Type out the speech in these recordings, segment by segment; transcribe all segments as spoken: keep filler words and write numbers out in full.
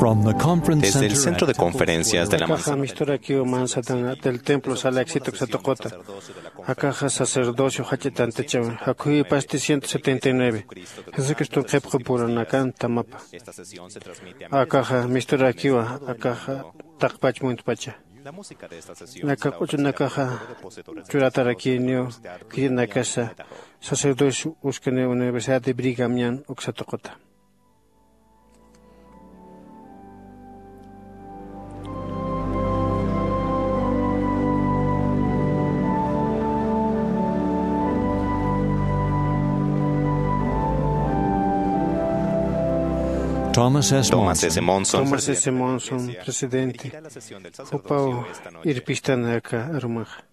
From the conference Desde el center centro de at conferencias de la Akaxa manzana. Misturakiw manzana del templo sala éxito uksa tuquta. Akaxa sacerdocio jach'a tantachawi. Jakhuyipasti ciento setenta y nueve. Jesucristo qhipqu puranakan tamapa. Akaxa misturakiwa, akaxa taqpach muntpacha. Naka q'uchunakaxa churatarakiniw, khitinakasa sacerdocio uskani Universidad de Brigham Young uksa tuquta. Thomas S. Thomas Monson. S. Monson. Thomas S. Monson, presidente. Jupaw irpistan aka arumaxa.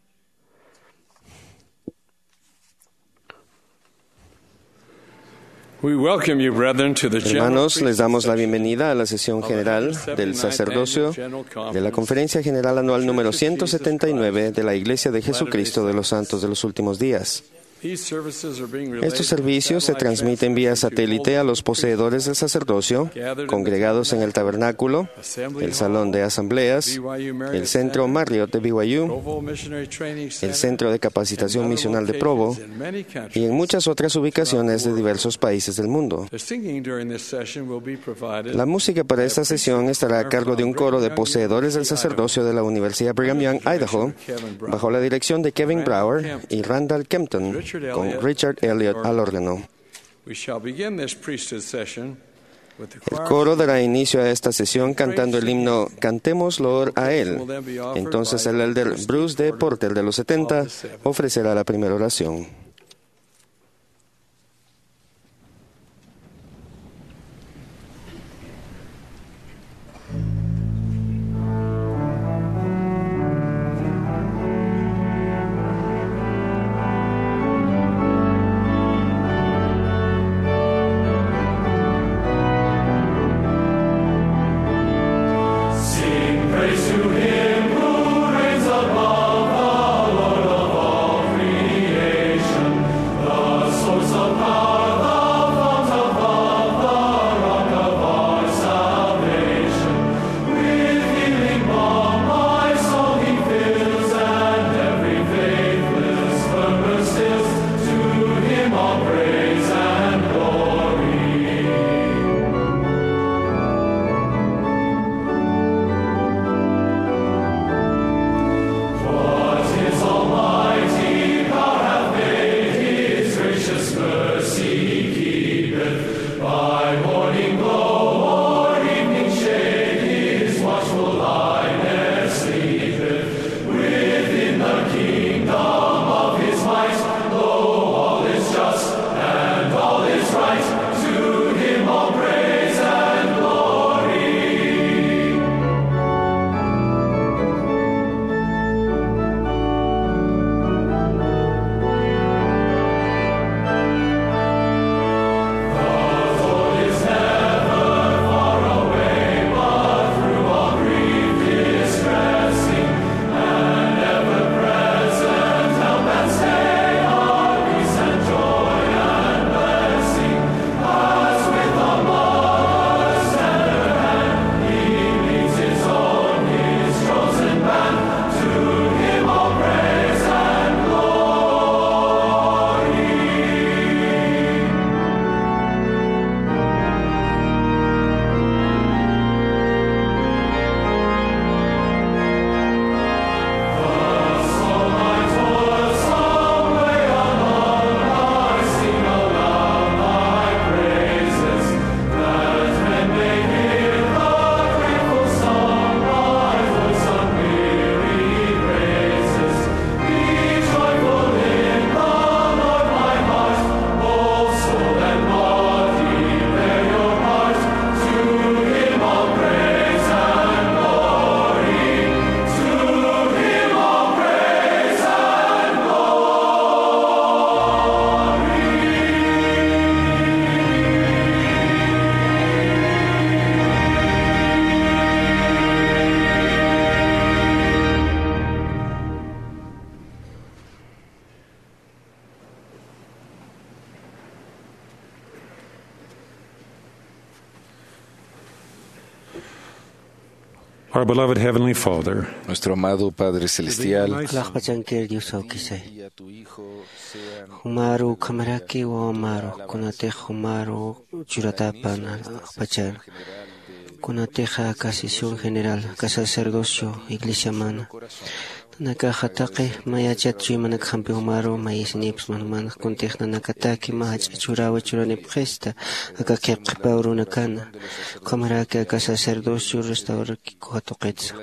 We welcome you, brethren, to the general Hermanos, les damos la bienvenida a la sesión general del sacerdocio de la Conferencia General Anual número ciento setenta y nueve de la Iglesia de Jesucristo de los Santos de los Últimos Días. These services are being relayed Estos servicios se transmiten vía satélite a los poseedores del sacerdocio congregados en el tabernáculo, el salón de asambleas, el centro Marriott de B Y U, el Centro de Capacitación Misional de Provo y en muchas otras ubicaciones de diversos países del mundo. La música para esta sesión estará a cargo de un coro de poseedores del sacerdocio de la Universidad Brigham Young, Idaho, bajo la dirección de Kevin Brower y Randall Kempton, con Richard Elliott al órgano. El coro dará inicio a esta sesión cantando el himno Cantemos loor a Él. Entonces el elder Bruce D. Porter de los setenta ofrecerá la primera oración. Our beloved Heavenly Father, nuestro amado Padre Celestial, alaxpachankir Dios awkisay. Jumaru ukhamaraki wawamaru, kunatix jumaru churatapan alaxpachar, kunatix aka sesión general, aka sacerdocio iglesiamana, nanakaxa taqi mayachat chuymanak jampi jumaru mayisinips manumanax kuntix nanakataki mä jach'a churawi churanipxista aka qhipqhipaw runakana, ukhamaraki aka sacerdocio restaurakikuxa tuqitsa.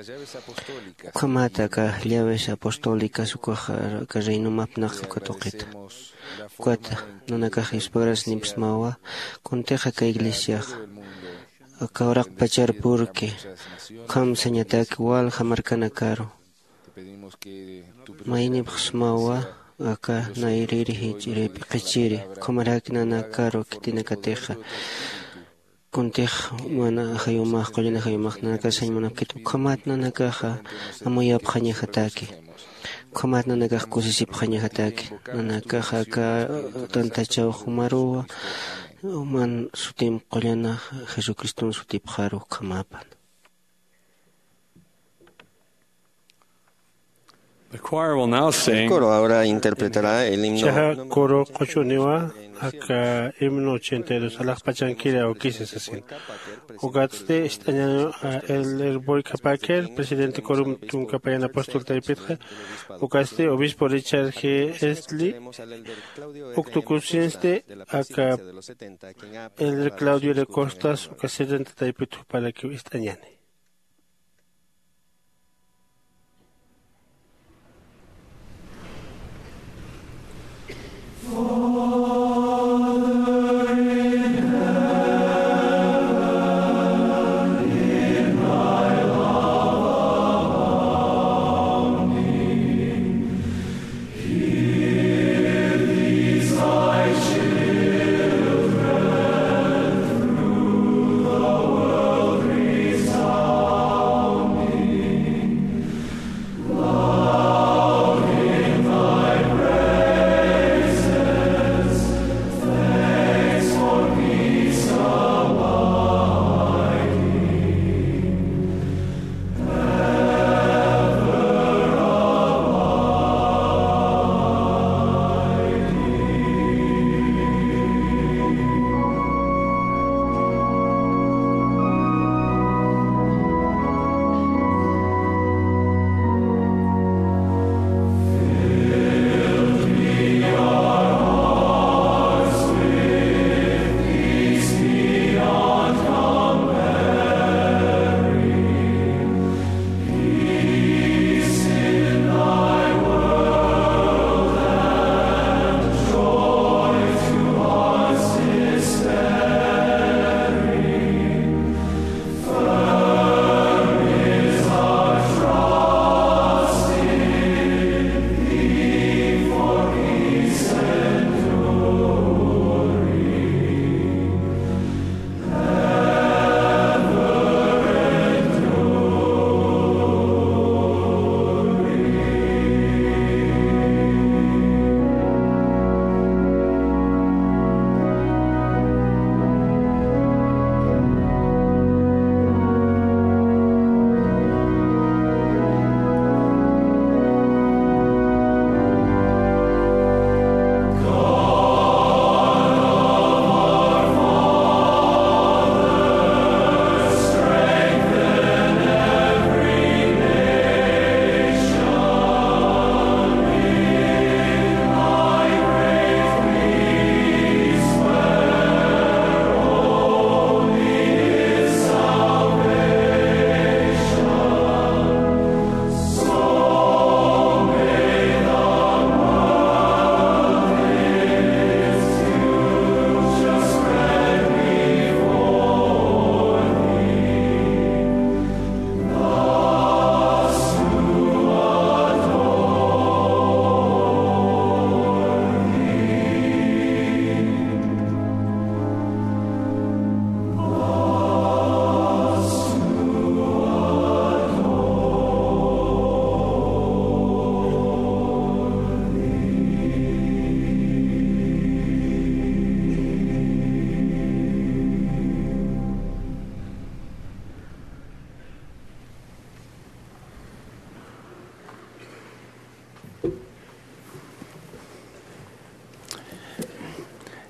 Ukhamat aka llaves apostólicas ukaxa aka reino mapnaqi uka tuqita. Ukata nanakax yuspagarasinipsmawa kuntix aka iglesiaxa aka uraqpachar purki, ukham sañataki walja markanakaru. Mayinipxsmawa aka nayriri jich'iri p'iqichiri, ukhamaraki nanakaru khitinakatixa. Kuntix mana ajayumax, qullana ajayumax nanakasañ munapkit, ukhamat nanakaxa amuyapxañajataki. Ukhamat nanakax kusisipxañajataki. Nanakaxa aka tantachaw jumaruwa, man sutim qullana Jesucriston sutipxaru ukhamapan. The choir will now sing. El coro ahora interpretará el himno. Chaja coro q'uch'uniwa aka himno ochenta y dos, alaxpachankiri awkisa sasin. Ukatsti ist'añani, ah, Elder Boyka Packer, presidente corum tunka payan apóstol taypitxa, ukatsti obispo Richard G. Estley, uktukusinsti aka Elder Claudio de Costas, uka setenta taypit juparakiw ist'añani.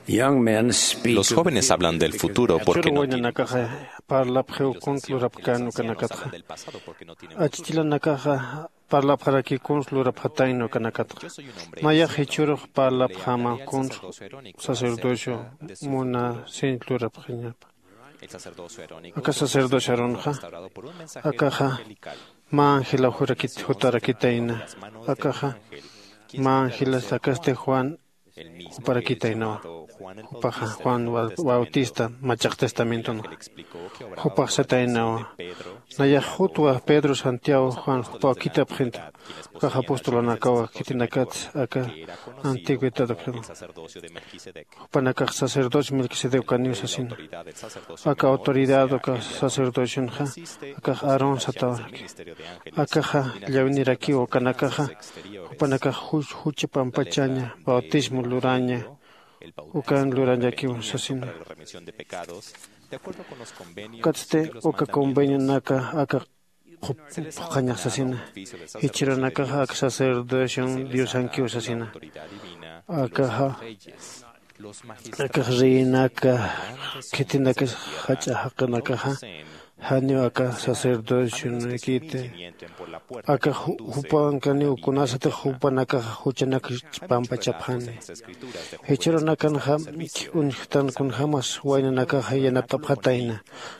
Los jóvenes hablan del futuro porque no tienen pasado, porque no tienen certeza del pasado, porque no tienen futuro. Achichilanakaxa parlapxarakï kuns lurapxatayna ukanakatxa. Nayax jichhürux parlapxäma kuns sacerdocio munasiñ lurapxiñapa. Aka sacerdocio Aaronxa, akaxa mä ángelaw jutarakitayna. Akaxa mä ángelas akasti Juan juparakitaynawa. Jupaxa Juan Bautista machaq testamentonxa. Jupax sataynawa, nayax jutwa Pedro, Santiago, Juan jupaw khithapxinta. Akax apostolanakawa khitinakats aka antigüedad ukxama. Jupanakax sacerdocio Melquisedec ukaniw sasina. Aka autoridad uka sacerdocionxa akax Aarón satawaraki. Akaxa llawinirakiw ukanakaxa jupanakax juch jucha pampachaña bautismo luraña. Ukan lurañakiw sasina. Ukatsti uka convenionaka aka phuqhañax sasina. Jichhürunakaxa aka sacerdocion diosankiw sasina. Akaxa akax reinaka khitinakas jach'a jaqinakaxa janiw aka sacerdocionakiti. Aka jupankaniw kunasatix jupanakaxa juchanak pampachapxani. Jichhürunakanxa uñjtan kunjämas waynanakaxa yanapt'apxatayna.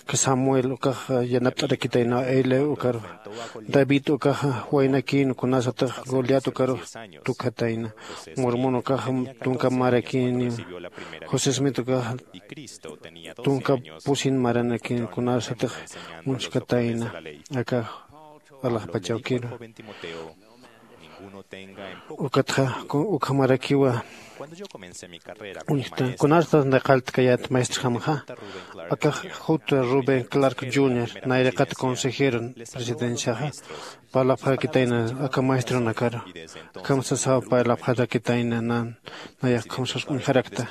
Aka Samuel ukaxa yanapt'arakitaynawa Eli ukaru. David ukaxa waynakïn kunasatix Goliat ukarux tukjatayna. Mormon ukaxa tunka marakïniw. José Smith ukaxa tunka pusin maranakïn kunasatix uñjkatayna. Aka alaxpachawkïru. Ukatxa ukhamarakiwa uñjta kunastas naqalltkayät maestrjamxa. Akax juta Rubén Clark junior nayraqat consejero presidenciaxa parlapxarakitayna aka maestronakaru. Akham sasaw parlapxarakitayna nan nayax ukham sas uñjarakta.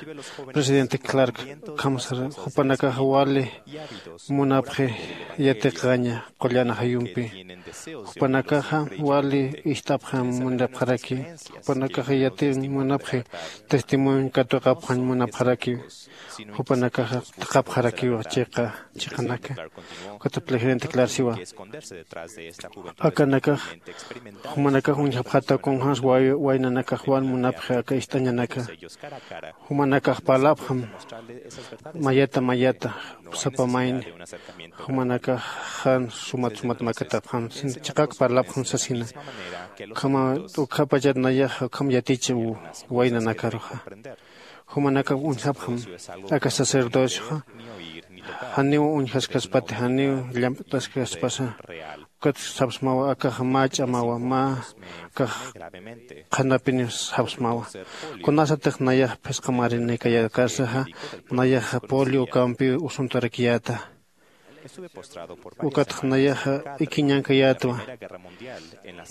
Presidente Clark ukham sar jupanakax wali munapxi yatiqaña qullan ajayumpi. Jupanakaxa wali ist'apxam munapxaraki. Jupanakaxa yatiñ munapxi testimonio katuqapxañ munapxaraki. Jupanakaxa thaqhapxarakiwa chiqa chiqanaka. Ukatxa presidente Clark siwa akanakax jumanakax uñjapxata kunjämsa waynanakax wal munapxi aka ist'añanaka. Jumanakax parlapxam mayata mayata sapa mayni. Jumanakax jan sumat sumat makatapxam chiqak parlapxam sasina. Ukhama ukhapachat nayaxa ukham yaticha waynanakaruxa. Jumanakax uñjapxam aka sacerdocioxa janiw uñjaskaspati janiw llamp'taskaspasa. Ukat sapsmawa akax mä ch'amawa mä akax qhanapiniw sapsmawa. Kunasatix nayax phisqa marinikayakarsaxa nayaxa polio ukampiw usuntarakiyäta. Ukatxa nayaxa ikiñankayätwa.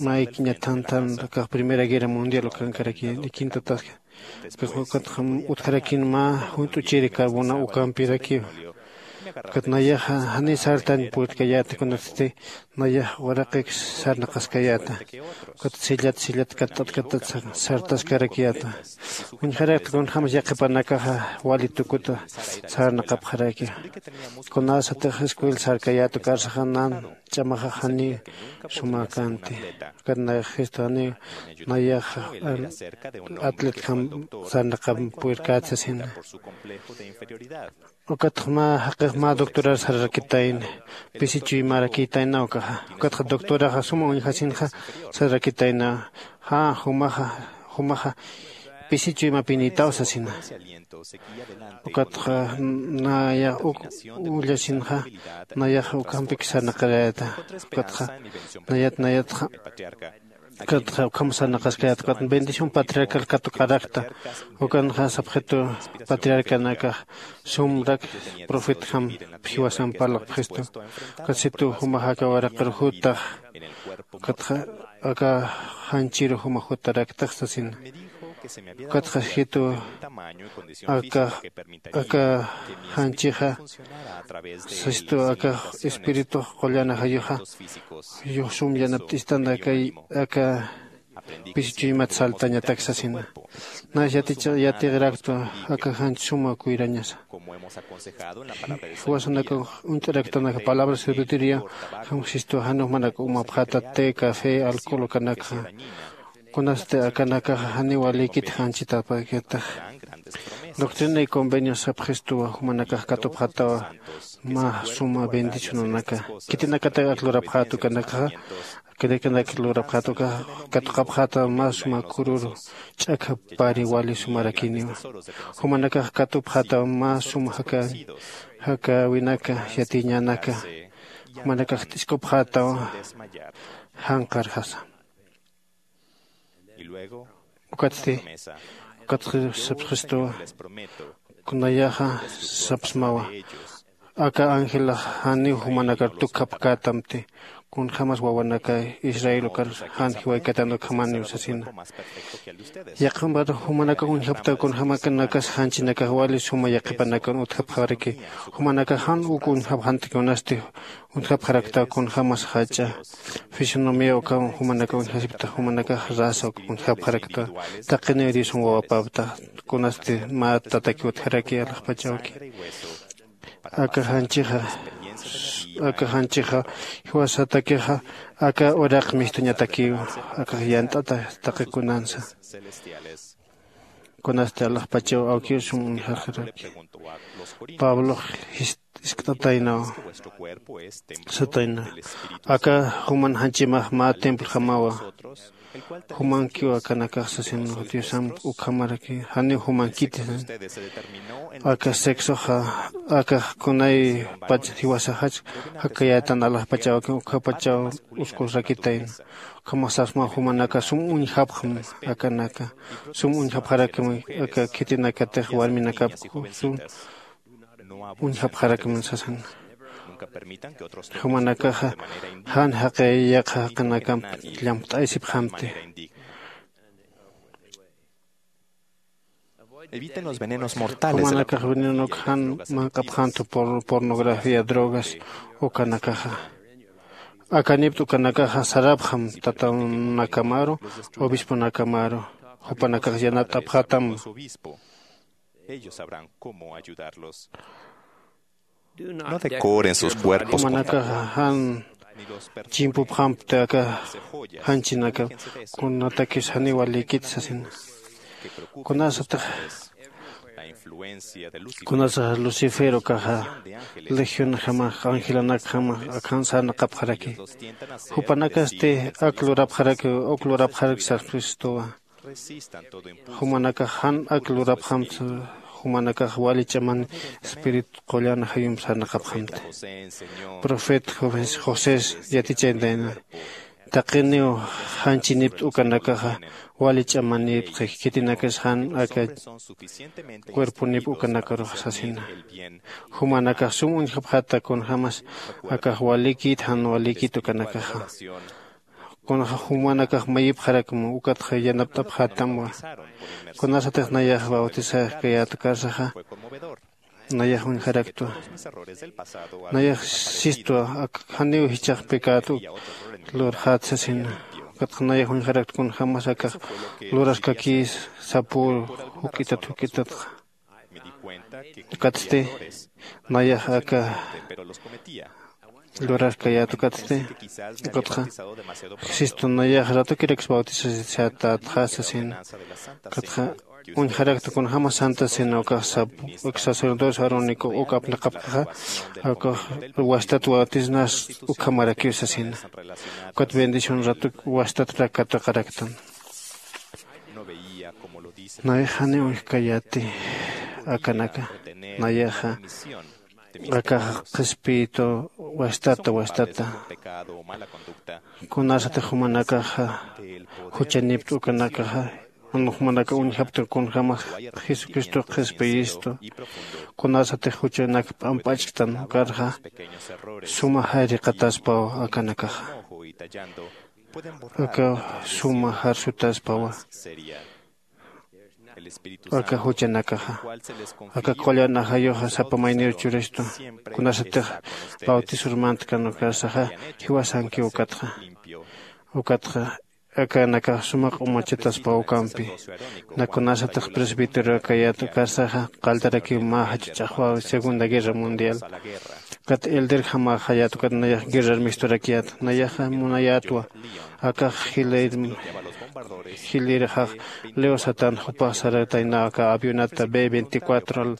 Mä ikiñathantan akax primera guerra mundial ukankaraki ikintataska. Ukatxa utjarakïn mä junt'uchiri carbona ukampirakiw. Ukat nayaxa janiy sartañ purtkayäta kunatsti nayax waraqik sarnaqaskayäta. Ukat sillat sillat katt'at katt'at sartaskarakiyäta. Uñjarakta kunjämas yaqhipanakaxa wali tukuta sarnaqapxaraki. Kunasatix escuela sarkayäta ukarsaxa nan ch'amaxa janiw sumäkänti. Ukat nayax jistu janiw nayaxa atletjam sarnaqam purkäti sasina. Ukatxa mä jaqix mä doctorar sararakitayna. Pisi chuymarakïtayna ukaxa. Ukatxa doctoraxa suma uñjasinxa sararakitayna. Jä jumaxa jumaxa pisi chuymapinïtaw sasina. Ukatxa nayax uk ullasinxa nayax ukampik sarnaqarayäta. Ukatxa nayat nayatxa ukatxa ukham sarnaqaskayät ukat bendición patriarcal katuqarakta. Ukanxa sapxitu patriarcanakax sumrak profetjam jiwasamp parlaqpxistu. Ukat situ jumax aka waraqir jutax ukatxa aka janchiru juma jutaraktax sasina. Ukatxa jitu aka aka janchixa sistu aka espiritux qullan ajayuxa sum yanapt'istan aka aka Pisi chuymat saltañatak sasina. Nas yaticha yatiqraktwa aka janch suma kuyrañasa. Jiwasanaka uñt'araktanaka palabra sabiduría jamsistwa jan jumanaka umapxata té café alcohol ukanakxa. Kunasti akanakaxa janiw walikit janchitapakitax. Doctrina y convenio sapxistuwa jumanakax katupxatawa mä suma bendicionanaka. Khitinakatak ak lurapxät ukanakaxa, khitinakatak lurapxät ukaxa katuqapxätawa mä suma kururu ch'akha pari wali sumarakiniwa. Jumanakax katupxätawa mä suma jakä jakäwinaka yatiñanaka. Jumanakax t'iskupxätawa janqarjasa. Ukatsti ukatsti sapxistuwa. Kunayaxa sapsmawa. Aka ángelax janiw jumanakar tukkhapkätamti. Kunjämas wawanaka israel ukar jan jiwaykatan ukhamaniw sasina. Yaqhimpat jumanakax uñjapkta kunjämakanakas janchinakax wali suma yaqhipanakar utjapxaraki. Jumanakax jan uk uñjapxanti kunasti uñjapxarakta kunjämas jach'a fisonomía ukham jumanakax uñjasipkta. Jumanakax raza uk uñjapxarakta. Taqiniw diosan wawapapta kunasti mä tatakiw utjaraki alaxpachawki. Aka janchixa aka janchixa jiwasatakixa aka uraq mistuñatakiw. Akax yant'ata taqi kunansa. Kunasti alaxpachaw awkiw sum uñjarxaraki. Pablox jist' iskt'ataynaw satayna. Aka juman janchimax mä templojamawa. Jumankiw akanakax sasin diosamp ukhamaraki janiw jumankiti. Aka sexoxa akax kunaypach jiwasaxach jakayätan alaxpachawki ukhapachaw uskusrakitayna. Ukhamax sapsmaw jumanaka sum uñjapxam akanaka sum uñjapxarakmi aka khitinakatix warminakap sum uñjapxarakmi sasan. Jumanakaxa jan jaqi yaqha jaqinakamp llampt'aysipxamti. Jumanakax venenok jan manq'apxantu pornografía drogas ukanakaxa. Akanipt'u ukanakaxa sarapxam tatanakamaru obisponakamaru jupanakax yanapt'apxatam. Ellos sabrán cómo ayudarlos. No decoren sus cuerpos con jumanakaxa jan chimpupxampti aka janchinaka. Kunatakis janiw walikit sasina. Kunasatix kunasaxa lucifer ukaxa legión jamax angelanakjamax akhan sarnaqapxaraki. Jupanakasti ak lurapxaraki uk lurapxaraki sarpxistuwa. Jumanakax jan ak lurapxamti. Jumanakax wali ch'aman espíritu qullan jayump sarnaqapxamti. Profeta josés yatichantayna. Taqiniw janchinipt'u ukanakaxa wali ch'amanipxi khitinakas jan aka cuerponipt'u ukanakarux sasina. Jumanakax sum uñjapxata kunjämas akax walikit jan walikit ukanakaxa. Kunaxa jumanakax mayipxarakma ukatxa yanapt'apxätamwa. Kunasatix nayax bautisaxkayäta karsaxa nayax uñjaraktwa. Nayax sistwa ak janiw jichhax pecado lurxät sasina. Ukatxa nayax uñjaraktwa kunjämas akax luraskakïs sapür juk'itat juk'itatxa. Ukatsti nayax aka lurarkayät ukatsti ukatxa sistu nayax ratukirakis bautisasisatät sasina. Ukatxa uñjarakta kunjämas santa cena ukax sap uk sacerdocio arónico uk apnaqapkaxa ukax wastat bautisnas ukhamarakiw sasina. Ukat bendición ratuk wastat rakatuqaraktan. Nayax janiw uñjkayäti akanaka. Nayaxa akaxa qhispiytu wastata wastata kunasatix jumanakaxa juchanipt'u ukanakaxa jumanaka uñjaptun kunjämas jesucristo qhispiyistu. Kunasatix juchanak p'amp'achktan ukarxa suma jayriqataspaw akanakaxa. Aka suma jarsutaspawa aka juchanakaxa. Aka qullan ajayuxa sapa mayniru churistu kunasatix bautisurmantkan ukarsaxa jiwasankiw ukatxa. Ukatxa akanakax sumaq umachataspa ukampi. Nakunasatix presbítero akayat ukarsaxa qaltarakiw mä jach'a ch'axwaw segunda guerra mundial. Kat elder jamaxayat ukat nayax guerrar misturakiyat nayaxa munayatwa. Akax jilirxax leo satan jupax sarataynaw aka avionata b veinticuatro al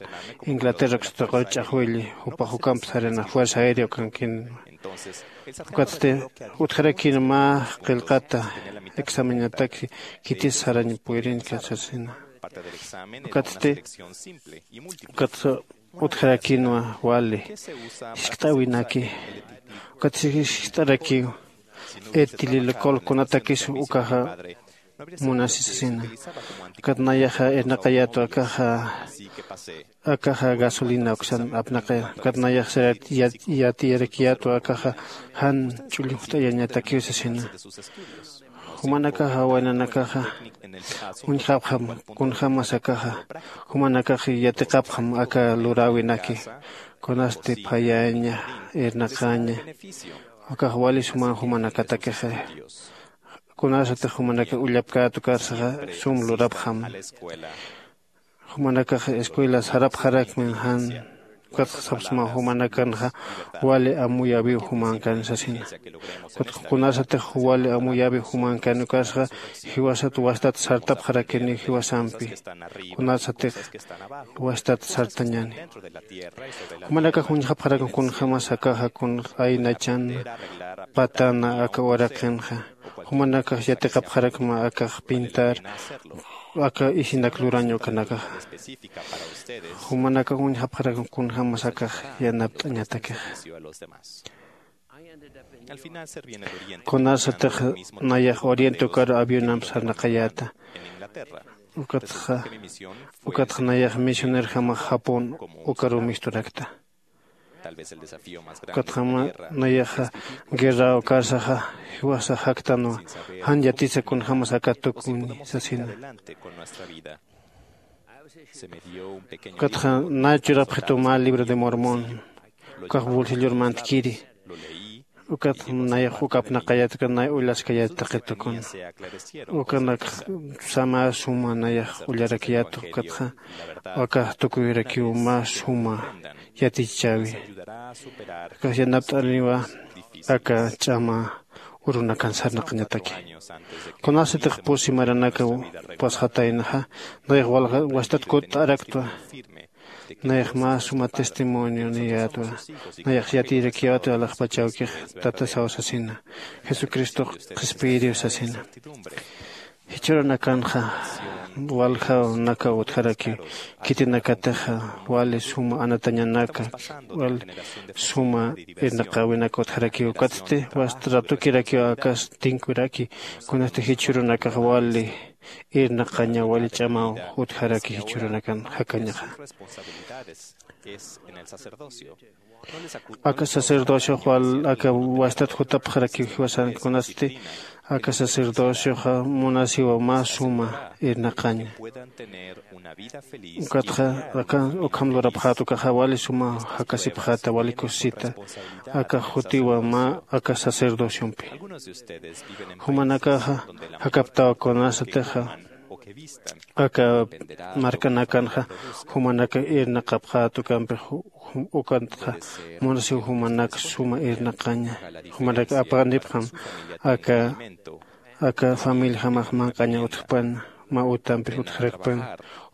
inglaterra ksutaqaw ch'axwilli jupax ukamp sarina fuerza aérea ukankinwa. Ukatsti utjarakïn mä qillqata examinatak khitis sarañ puyrinka sasina. Ukatsti ukatsa utjarakïnwa wali jiskt'äwinaki. Ukatsti jiskt'arakiw etililocol kunatakis ukaxa munasi sasina. Ukat nayaxa irnaqayätwa akaxa akaxa gasolina uksan apnaqaya. Ukat nayax sirat yatiyarakiyätwa akaxa jan ch'ullujt'ayañatakiw sasina. Jumanakaxa waynanakaxa uñjapxam kunjämas akaxa jumanakax yatiqapxam aka luräwinaki. Kunasti phayaña irnaqaña. Akax wali suman jumanakatakixa kunasatix jumanakax ullapkät ukarsaxa sum lurapxam. Jumanakax escuela sarapxarakmin jan. Ukatxa sapsma jumanakanxa wali amuyäwiw jumankan sasina. Ukatxa kunasatix wali amuyäwiw jumankan ukarsaxa jiwasat wastat sartapxarakiniw jiwasampi. Kunasatix wastat sartañäni jumanakax uñjapxarakma kunjämas akaxa kun aynachan patana aka uraqinxa. Jumanakax yatiqapxarakma akax pintar aka isinak lurañ ukanakaxa. Jumanakax uñjapxarakma kunjämas akax yanapt'añatakixa. Kunasatix nayax oriente ukaru avionamp sarnaqayäta. Ukatxa ukatxa nayax misionerjamax japón ukaru misturakta. Ukatjama nayaxa guerra ukarsaxa jiwasa jaktanwa jan yatisa kunjämas aka tukuni sasina. Ukatxa nay churapxituw mä libro de mormón ukax bolsillor mantkiri. Ukat nayax uk apnaqayät ukat nay ullaskayät taqi tukun. Ukanak mä suma nayax ullarakiyät ukatxa akax tukuyurakiw mä suma yatichchäwi. Akax yanapt'aniwa aka ch'ama urunakan sarnaqañataki. Kunasatix pusi maranakaw pasxataynaxa nayax wastat kutt'araktwa. Nayax mä suma testimonio niyätwa. Nayax yatiyrakiyätwa alaxpachawkix tatasaw sasina. Jesucristox qhispiyiriw sasina. Jichhürunakanxa waljaw nakaw utjarakiw khitinakatixa wali suma anatañanaka wali suma irnaqäwinaka utjarakiw ukatsti wasta ratukirakiw akas tinkuraki. Kunasti jichhürunakax wali irnaqaña wali ch'amaw utjaraki jichhürunakan jakañaxa. Aka sacerdociox wal aka wastat jutapxarakiw jiwasan kunasti aka sacerdocioxa munasiwa mä suma irnaqaña. Ukatxa aka ukham lurapxät ukaxa wali suma jakasipxäta wali kusisita aka jutiwa mä aka sacerdociompi. Jumanakaxa jakaptaw kunasatixa aka markanakanxa jumanaka irnaqapxät ukampix. Ukatxa munasiw jumanak suma irnaqaña jumanak apanipxam aka aka familiajamax manq'aña utjpan mä utampix utjarakpan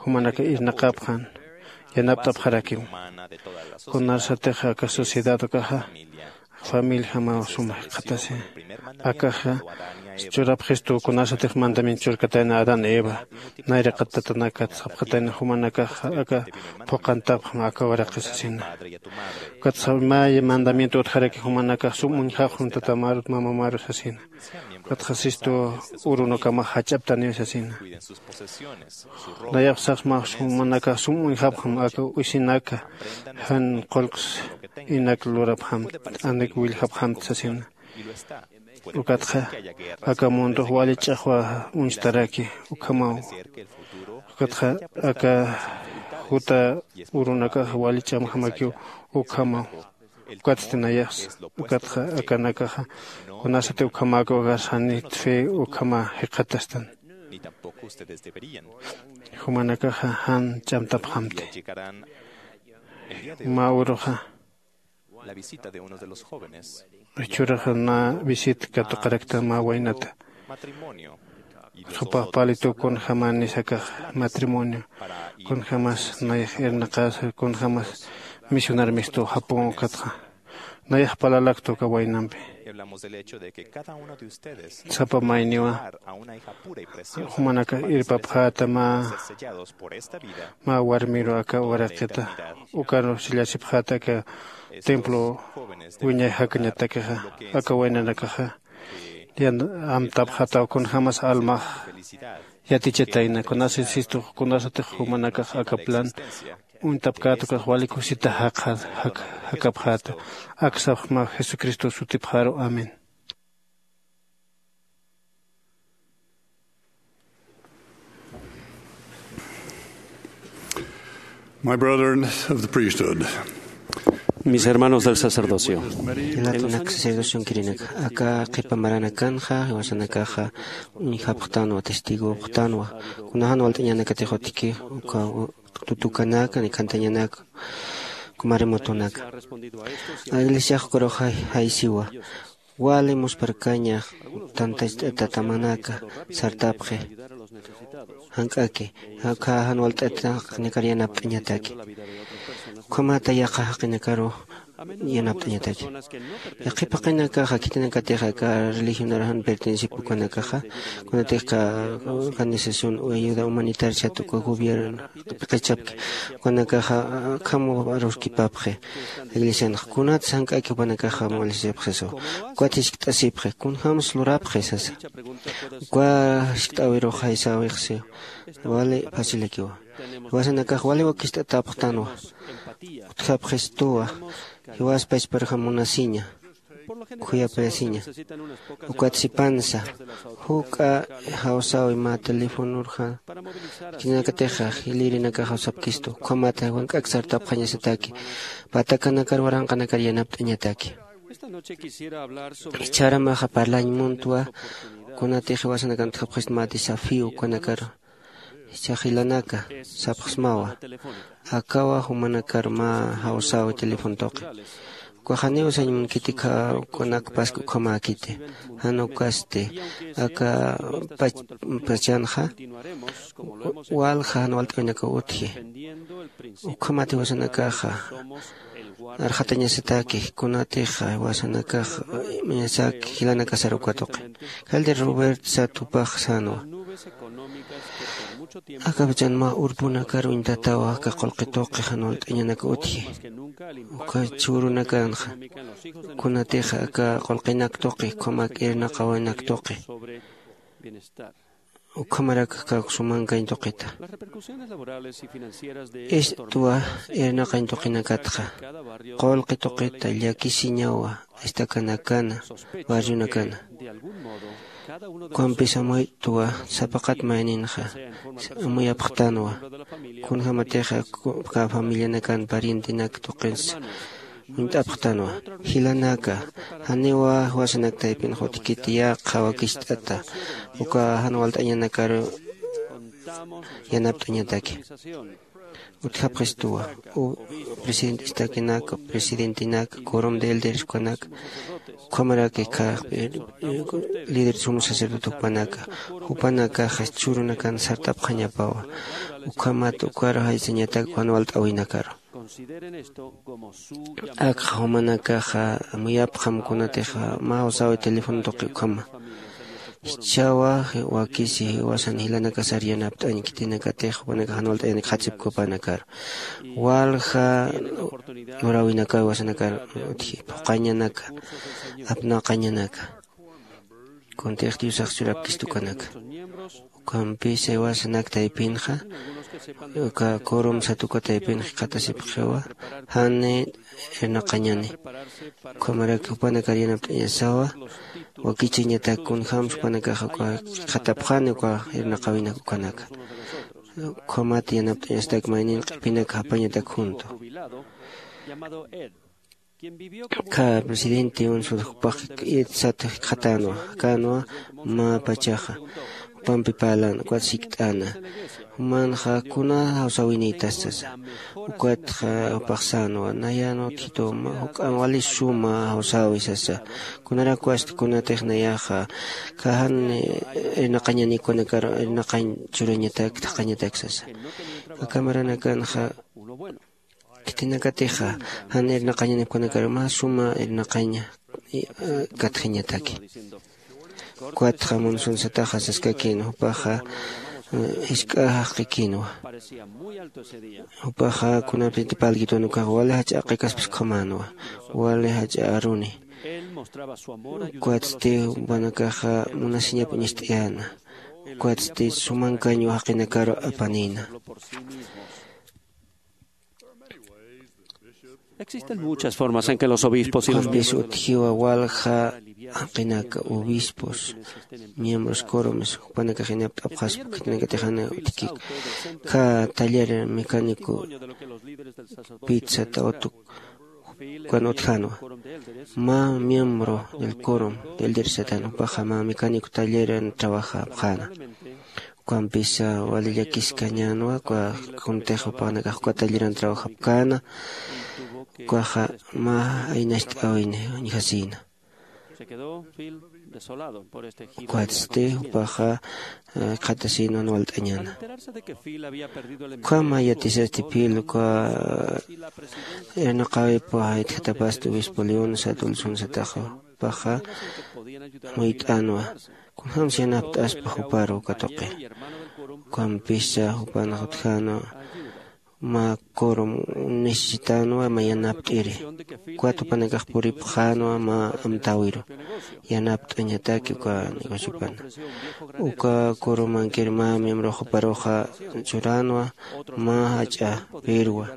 jumanaka irnaqapxan yanapt'apxarakim. Kunasatix aka sociedad ukaxa familiajamaw suma jikxatasi. Akaxa churapxistu kunasatix mandamiento churkatayna adán eva nayraqat tatanakat sapxatayna jumanakaxa aka phuqantapxam aka uraqi sasina. Ukatxa mä mandamiento utjaraki jumanakax sum uñjapxam tatamarut mamamarus sasina. Ukatxa sistu urunukamax jach'aptaniw sasina. Nayax sapxsmax jumanakax sum uñjapxam aka usinaka jan qullqs inak lurapxamt t'anik willjapxamt sasina. Ukatxa aka mundox wali ch'axwa uñstaraki ukhamaw. Ukatxa aka juta urunakax wali ch'amjamakiw ukhamaw. Ukatsti nayaxsa, ukatxa akanakaxa kunasati ukhamäkaw agarsanit fe ukhama jikxatastan. Jumanakaxa jan ch'amtapxamti. Mä uruxa churaxa na visit katuqarakta mä waynata. Supax palitu kunjäman nisakax matrimonio, kunjämas nayax irnaqäsa, kunjämas misionar mistu japun ukatxa nayax paralaktu uka waynampi. Sapa mayniwa jumanakax irpapxäta mä mä warmiru aka uraqita ukaru sillasipxäta aka templo wiñay jakañatakixa aka waynanakaxa. Yan amtapxataw kunjämas almax yatichatayna kunasat sistux kunasatix jumanakax aka plan uñtapkäta ukax wali kusita jakapxäta. Aksapxma jesucristo sutipxaru amén. My brethren of the priesthood. Mis hermanos del sacerdocio. Jilatanak sacerdocion kirinak aka qhipa maranakanxa jiwasanakaxa uñjapxtanwa testigopxtanwa. Kuna jan walt'añanakatix utjki uka tutukanaka ni khantañanaka. Kumarimotunaka iglesiax ukarux jaysiwa. Wali muspharkaña tantachtamanaka sartapxi jank'aki. Akha jan walt'atinakar yanapt'añataki. Ukhamata yaqha jaqinakaru yanapt'añataki. Yaqhip jaqinakaxa khitinakatix aka religionar jan pertenencipi ukanakaxa kunatix ka organización o ayuda humanitaria sat uka gobierno piq'ichapki ukanakaxa akham aruskipapxi. Iglesianx kunat sank'aki jupanakaxa mulisipxisu ukat jiskt'asipxi kunjämsa lurapxi sasa. Uka jiskt'äwirux jaysäwixsi wali fácilakiwa. Jiwasanakax wali wakist'atapxtanwa. Utjapxistuwa jiwas pachparjam munasiña khuyapayasiña. Ukat sipansa juk'a jawsäwi mä telefonorja. Khitinakatixa jilïrinakax jawsapkistu ukhamata wank'ak sartapxañasataki patakanakar waranqanakar yanapt'añataki. Jichharamaxa parlañ muntwa kunatix jiwasanakan utjapxist mä desafío ukanakar. Jichha jilanaka sapxsmawa. Akawa jumanakar mä jawsäwi teléfono tuqi. Ukax janiw sañ munkiti kha ukanak pask ukhamäkiti. Jan ukasti aka pachanxa walja jan walt'awinakaw utji. Ukhamat jiwasanakaxa arxatañasataki kunatixa jiwasanakax mañasaki jilanakasar uka tuqi. Jaldir robert sat jupax sänwa. Aka pachan mä urpunakar uñtatawa aka qullqi tuqi jan walt'añanak utji. Uka chhurunakanxa kunatixa aka qullqinak tuqi ukhamak irnaqawinak tuqi ukhamarak kawksumankañ tuqita. Istwa irnaqañ tuqinakatxa qullqi tuqita llakisiñawa. Estacanakana barrionakana ukampis amuytwa sapaqat mayninxa amuyapxtanwa. Kunjämatixa ka familianakan parientenak tuqinsa uñt'apxtanwa. Jilanaka janiwa jiwasanak taypin jutkiti yaqha wakicht'ata uka jan walt'añanakaru yanapt'añataki. Utjapxistuwa u presidente estaquenaka presidentenaka corom de elder jupanaka ukhamaraki kha líder sumo sacerdote jupanaka jupanakaxa chhurunakan sartapxañapawa. Ukhamat ukaru jaysañatak jan walt'awinakaru. Akxa jumanakaxa amuyapxam kunatixa mä jawsäwi teléfono tuqi ukhama. Jichhawa wakisi jiwasan jilanakasar yanapt'añ khitinakatix jupanakax jan walt'ayanak jatsipki jupanakar walja luräwinakaw jiwasanakar utji phuqañanaka apnaqañanaka. Kuntix diosax churapkistukanaka ukampisa jiwasanak taypinxa uka corom satuka taypin jikxatasipxiwa. Jani irnaqañani ukhamarak jupanakar yanapt'añasawa. Wakichañatak kunjämsa jupanakaxa uka jikxatapxani uka irnaqawinak ukanaka. Ukhamat yanapt'añastak maynin q'ipinaka japañatak juntu. Kha presidente unsud jupax itsat jikxatänwa, jikxatänwa mä pachaxa jupampi parlän ukat sikt'äna. Jumanxa kuna jawsäwinïtas sasa. Ukatxa jupax sänwa, nayan utjitu juk'an wali suma jawsäwi sasa. Kunarak wasta kunatix nayaxa kha jan irnaqañanïpanakar irnaqañ churañatak thaqañatak sasa. Kha camaranakanxa khitinakatixa jan irnaqañanïpanakar mä suma irnaqaña katjañataki. Ukatxa munsunsataxa saskakïn jupaxa jisk'a jaqikïnwa. Jupaxa kunapiti parlkitwan ukax wali jach'a jaqikaspas ukhamänwa, wali jach'a aruni. Ukatsti jupanakaxa munasiñap uñacht'ayäna. Ukatsti sumankañwa jaqinakaru apanïna. Existen muchas formas en que los obispos y los ukampis miembros utjiwa walja jaqinaka obispos, miembros quórums jupanakax yanapt'apxaspa khitinakatixan utjkik. Kha taller mecánico pizza tawtuk ukan utjänwa. Mä miembro del quórum del dirsetan jupaxa mä mecánico talleran trabajapxäna. Ukampisa wali llakiskañänwa uka kuntix jupanakax uka talleran trabajapkäna. Ukaxa mä aynacht'äwin uñjasïna. Ukatsti jupaxa qhatasïnwan walt'añäna. Ukhama yatisasti phil uka irnaqäwip itjatapasti obispo león sat ulsunsataxa jupaxa muyt'änwa. Kunjämsa yanapt'aspa juparu uka tuqi. Ukampisa jupanxa utjänwa mä quórum necesitänwa mä yanapt'iri. Ukat jupanakax puripxänwa mä amtäwiru yanapt'añataki uka negociopana. Uka quórumankir mä miembrox juparuxa churänwa mä jach'a pirwa.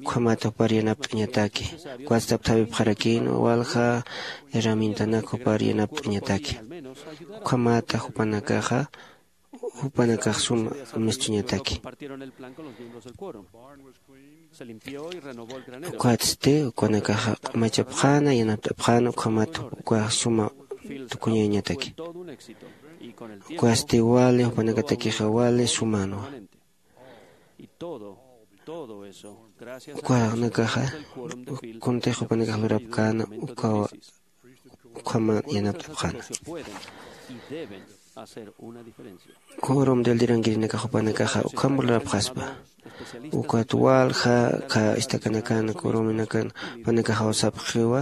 Ukhamat jupar yanapt'añataki. Ukatsti apthäwipxarakïnwa walja herramientanak jupar yanapt'añataki. Ukhamata jupanakaxa jupanakax suma amist'añataki. Ukatsti ukanakaxa q'umachapxäna yanapt'apxäna ukhamat ukax suma tukuñañataki. Ukatsti wali jupanakatakixa wali sumänwa. Ukanakaxa kuntix jupanakax lurapkäna ukawa ukhama yanapt'apxäna. Quórum del dirankirinakax jupanakaxa ukham lurapxaspa. Ukat walja kha istakanakan quóruminakan jupanakax jawsapxiwa.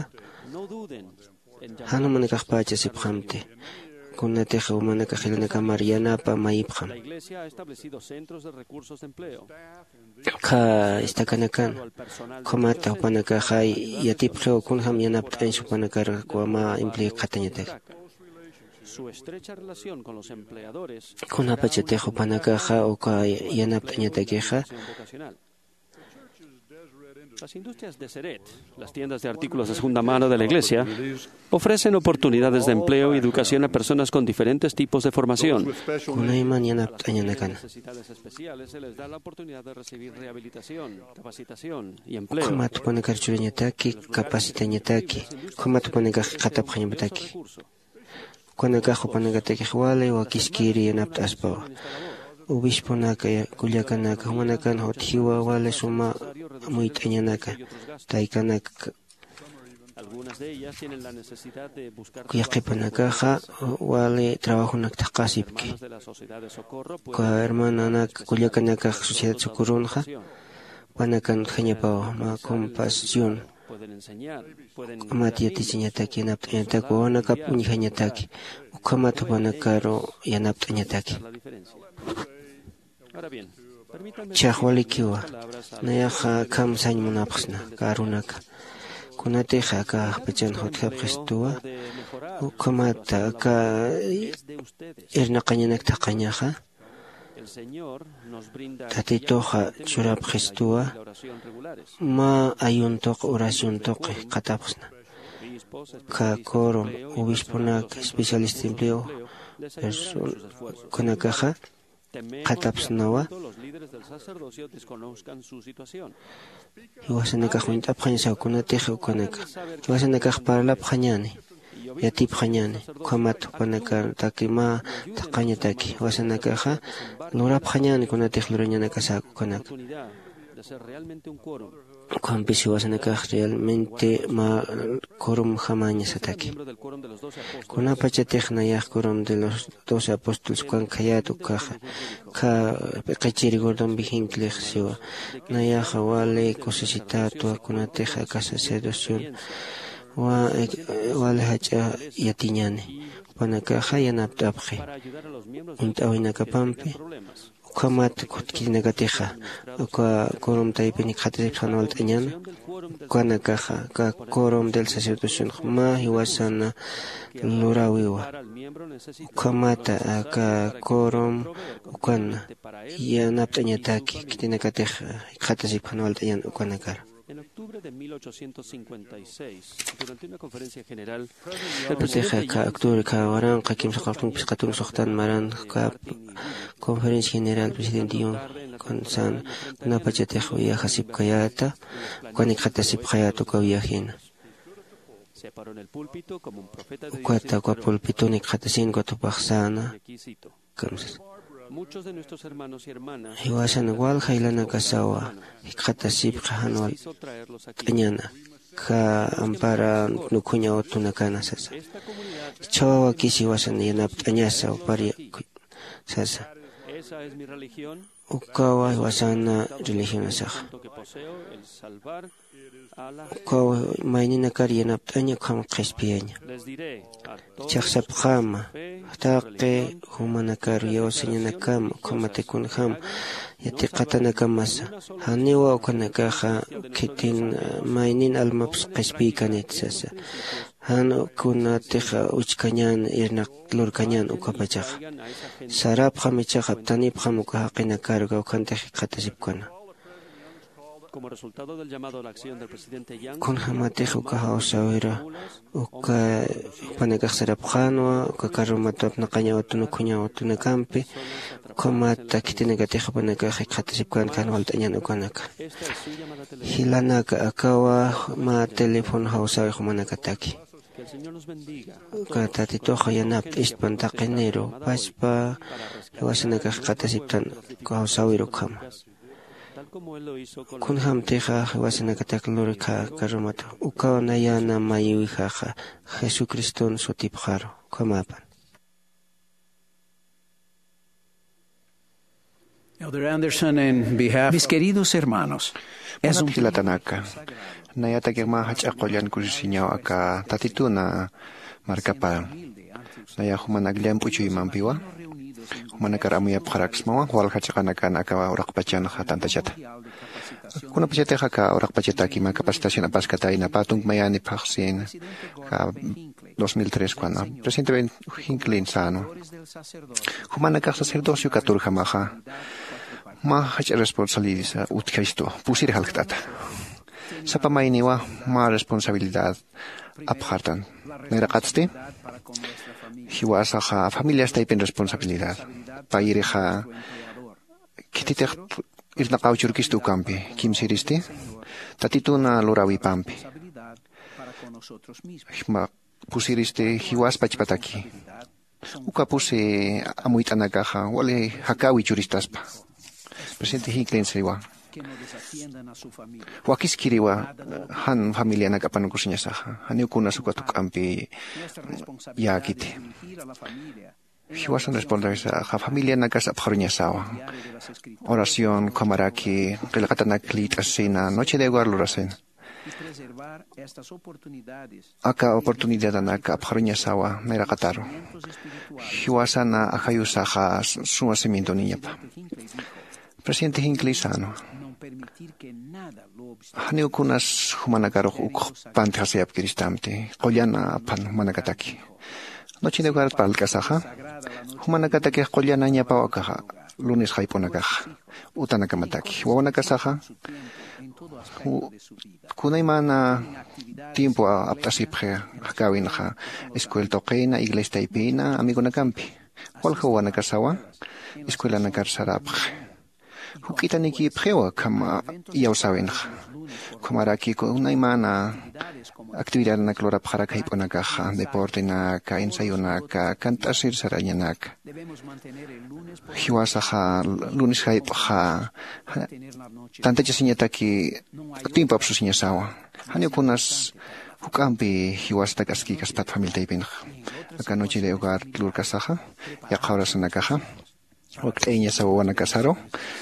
Jan jumanakaxpächa sipxamti. Kunatix jumanakax jilanakamar yanapa mayipxam. Kha istakanakan ukhamata jupanakaxa yatipxiw kunjäm yanapt'añsa jupanakar uka mä empleoy qhatañatak. Kunapachatix jupanakaxa uka yanapt'añatakixa. Las industrias de Seret, las tiendas de artículos de segunda mano de la iglesia, ofrecen oportunidades de empleo y educación a personas con diferentes tipos de formación. Kunayman yanapt'añanakana. Ukhamat jupanakar churañataki, capacitañataki, ukhamat jupanakax qhatapxañapataki. Ukanakax jupanakatakix wali wakiskiri yanapt'aspawa. Obisponaka, kullakanaka jumanakan utjiwa wali suma muyt'añanaka, taykanaka. Yaqipanakaxa wali trabajonak thaqasipki. Uka hermananak kullakanakax sociedad socorronxa panakan utjañapawa mä compasión. Ukhamat yatichañataki yanapt'añataki wawanakap uñjañataki. Ukhamat jupanakaru yanapt'añataki. Chhaxwalikiwa. Nayaxa akham sañ munapxsna karunaka. Kunatixa aka jaqpachanxa utjapxistuwa ukhamata aka irnaqañanak thaqañaxa. Tatituxa churapxistuwa mä ayuntuq oraciontuqi qhatapxsna. Kha quórum obisponak especialista empleo personakunakaxa qhatapsnawa. Jiwasanakax uñt'apxañasaw kunatix ukanaka, jiwasanakax parlapxañäni, yatipxañäni, ukhamat jupanakataki mä thaqhañataki jiwasanakaxa lurapxañäni kunatix lurañanakasäk ukanaka. Ukhampis jiwasanakax realmente mä quorumjamañasataki. Kunapachatix nayax quorum de los doce apóstoles ukan khayät ukkhaxa, ukkha p'iqichiri gordon viginclix siwa, nayaxa wali kusisitätwa kunatix aka sacerdocion wali jach'a yatiñäni. Jupanakaxa yanapt'apxi uñt'äwinakapampi. Ukhamat khitinakatixa uka quorum taypin jikxatasipxan walt'añäna. Ukanakaxa aka quorum del sacerdocionx mä jiwasana luräwiwa. Ukhamata aka quorum ukana yanapt'añataki khitinakatix jikxatasipxan walt'añäna ukanakar. En octubre de mil ochocientos cincuenta y seis, durante una conferencia general, el presidente Yun, octubre kha waranqa kimsa qawtun phisqatun suxtan maran, kha conferencia general presidente Yun, kunsän kunapachatix viajasipkayäta, ukan jikxatasipxayäta uka viajina. Se paró en el púlpito como un profeta de Dios. Ukata uka pulpitun jikxatasin ukat jupax säna. Kamsas. Jiwasan walja jilanakasawa jikxatasipxi jan walt'añäna, kha ampara nukhuñaw tunakana sasa. Jichhawa wakis jiwasan yanapt'añasa uparya sasa. Ukawa jiwasana religionasaxa. Ukaw mayninakar yanapt'aña ukham qhispiyaña. Jichhax sapxäma, taqi jumanakar yawsañanakama ukhamati kunjam yatiqatanakamasa, janiwa ukanakaxa khitin maynin almaps qhispiykanit sasa. Jan kunatix uchkañän irnaq lurkañän ukapachaxa. Sarapxam jichhax aptanipxam uka jaqinakar kawkhantix jikxatasipkana. Kunjämatix uka jawsäwir uka jupanakax sarapxänwa uka carromatu apnaqañaw tun ukhuñaw tunakampi, ukhamat khitinakatix jupanakax jikxatasipkän jan walt'añän ukanaka. Jilanaka, akawa mä teléfono jawsäwi jumanakataki. Uka Tatitux yanapt'istpan taqiniru pachpa jiwasanakax jikxatasiptan uka jawsäwir ukhama. Kunjämtixa jiwasanakatak lurkha carromatu ukaw nayäna mayiwijaxa Jesucriston sutipxaru. Ukhamäpan. Elder Anderson, en behalf Mis queridos hermanos, es un Jilatanaka, nayatakix mä jach'a qullan kusisiñaw aka Tatituna markapar. Nayax jumanak llamp'u chuymampiwa jumanakar amuyapxaraksmawa walja chiqanakan aka uraqpachanxa tantachata. Kunapachatix aka uraqpachataki mä capacitación apaskatayna pä tunkmayani phaxsin, aka dos mil tres kuana presidente Hinckley sänwa. Jumanakax sacerdocio katurjamaxa mä jach'a responsabilidad utjaystu pusir jalkt'ata. Sapa mayniwa mä responsabilidad apxartan. Nayraqatsti jiwasaxa familias taypin responsabilidad. Payirixa khititix irnaqaw churkistu ukampi, kimsiristi Tatituna luräwipampi. Pusiristi jiwas pachpataki. Uka pusi amuyt'anakaxa wali jakäwi churistaspa. Presidente Hinckley siwa, wakiskiriwa jan familianak apanukusiñasaxa, janiw kunas uka tuk'ampi yäkiti. Jiwasan responsabilidad familianakas apxaruñasawa. Oración, ukhamaraki qillqatanak liyt'asina, noche de hogar lurasina. Aka oportunidadanak apxaruñasawa nayraqataru. Jiwasana ajayusaxa suma cimientoniñapa. Presidente Hinckley sänwa, janiw kunas jumanakarux ukx pantjasayapkiristamti, qullana aphan jumanakataki. Noche de hogarat parlk'asaxa jumanakatakix qullanañapaw akaxa, lunes jayp'unakaxa utanakamataki wawanakasaxa kunaymana tiempo apt'asipxi. Jakäwinxa escuel tuqina, iglesia taypina, amigonakampi. Walja wawanakasawa escuelanakar sarapxi. Juk'itanikïpxiwa kham iyawsäwinxa. Ukhamaraki kunaymana actividadnak lurapxarak jayp'unakaxa, deportenaka, ensayonaka, kant'asir sarañanaka. Jiwasaxa lunes jayp'xa tantachasiñataki tiempo apsusiñasawa. Janiw kunas juk'ampi jiwasatak askïkaspat familia taypinxa. Aka noche de hogar lurkasaxa, yaqha horasanakaxa wakt'ayañasa wawanakasaru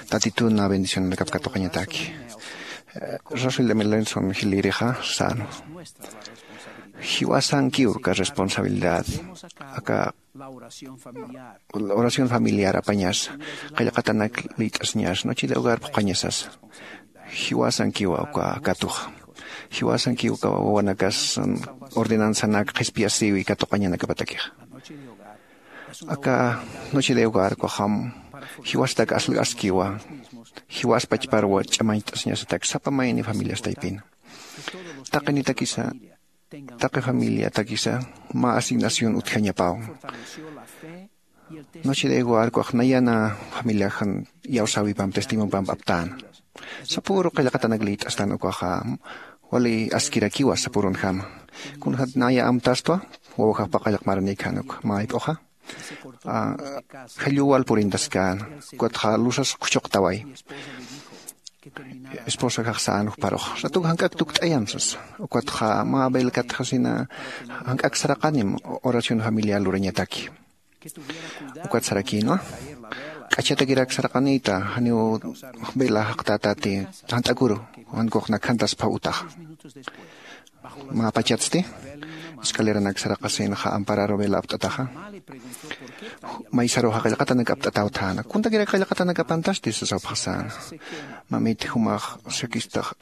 tatituna bendicionanakap katuqañataki. Russell m lenson jilïrixa sänwa, jiwasankiw aka responsabilidad aka oración familiar apañasa, qillqatanak liyt'asiñasa, noche de hogar phuqhañasasa. Jiwasankiwa uka katuxa. Jiwasankiw uka wawanakas ordenanzanak qhispiyasïwi katuqañanakapatakixa. Aka noche de hogar ukaxam jiwasatak aslg askiwa. Jiwas pachparwa ch'amañcht'asiñasatak sapa mayni familias taypina. Taqinitakisa taqi familiatakisa mä asignación utjañapaw. Noche de hogar ukax nayana familiaxan iyawsäwipamp testimonpamp aptäna. Sapüru qillqatanak liyt'astan ukaxa wali askirakiwa sapürunjama. Kunjat naya amtastwa wawajaxpa qillq maranïkhan uk mä jayp'uxa jalluw wal purintaskäna. Ukatxa lusas khuchuqtaway. Esposajax sän jupharux, ratuk jank'ak tukt'ayam sasa. Ukatxa mä velkatxasina jank'ak saraqanim oración familiar lurañataki. Ukat sarakïnwa, k'achatakirak saraqanïta janiw vela jaqtätati jant'akuru, jan kux nakhantaspha utaxa. Mä pachatsti escaleranak saraqasinxa ampararu vela apt'ataxa, maysaruxa qillqatanak apt'ataw thäna. Kuntakirak qillqatanak apantasti sasawpxasäna. Mamit, jumax sakistax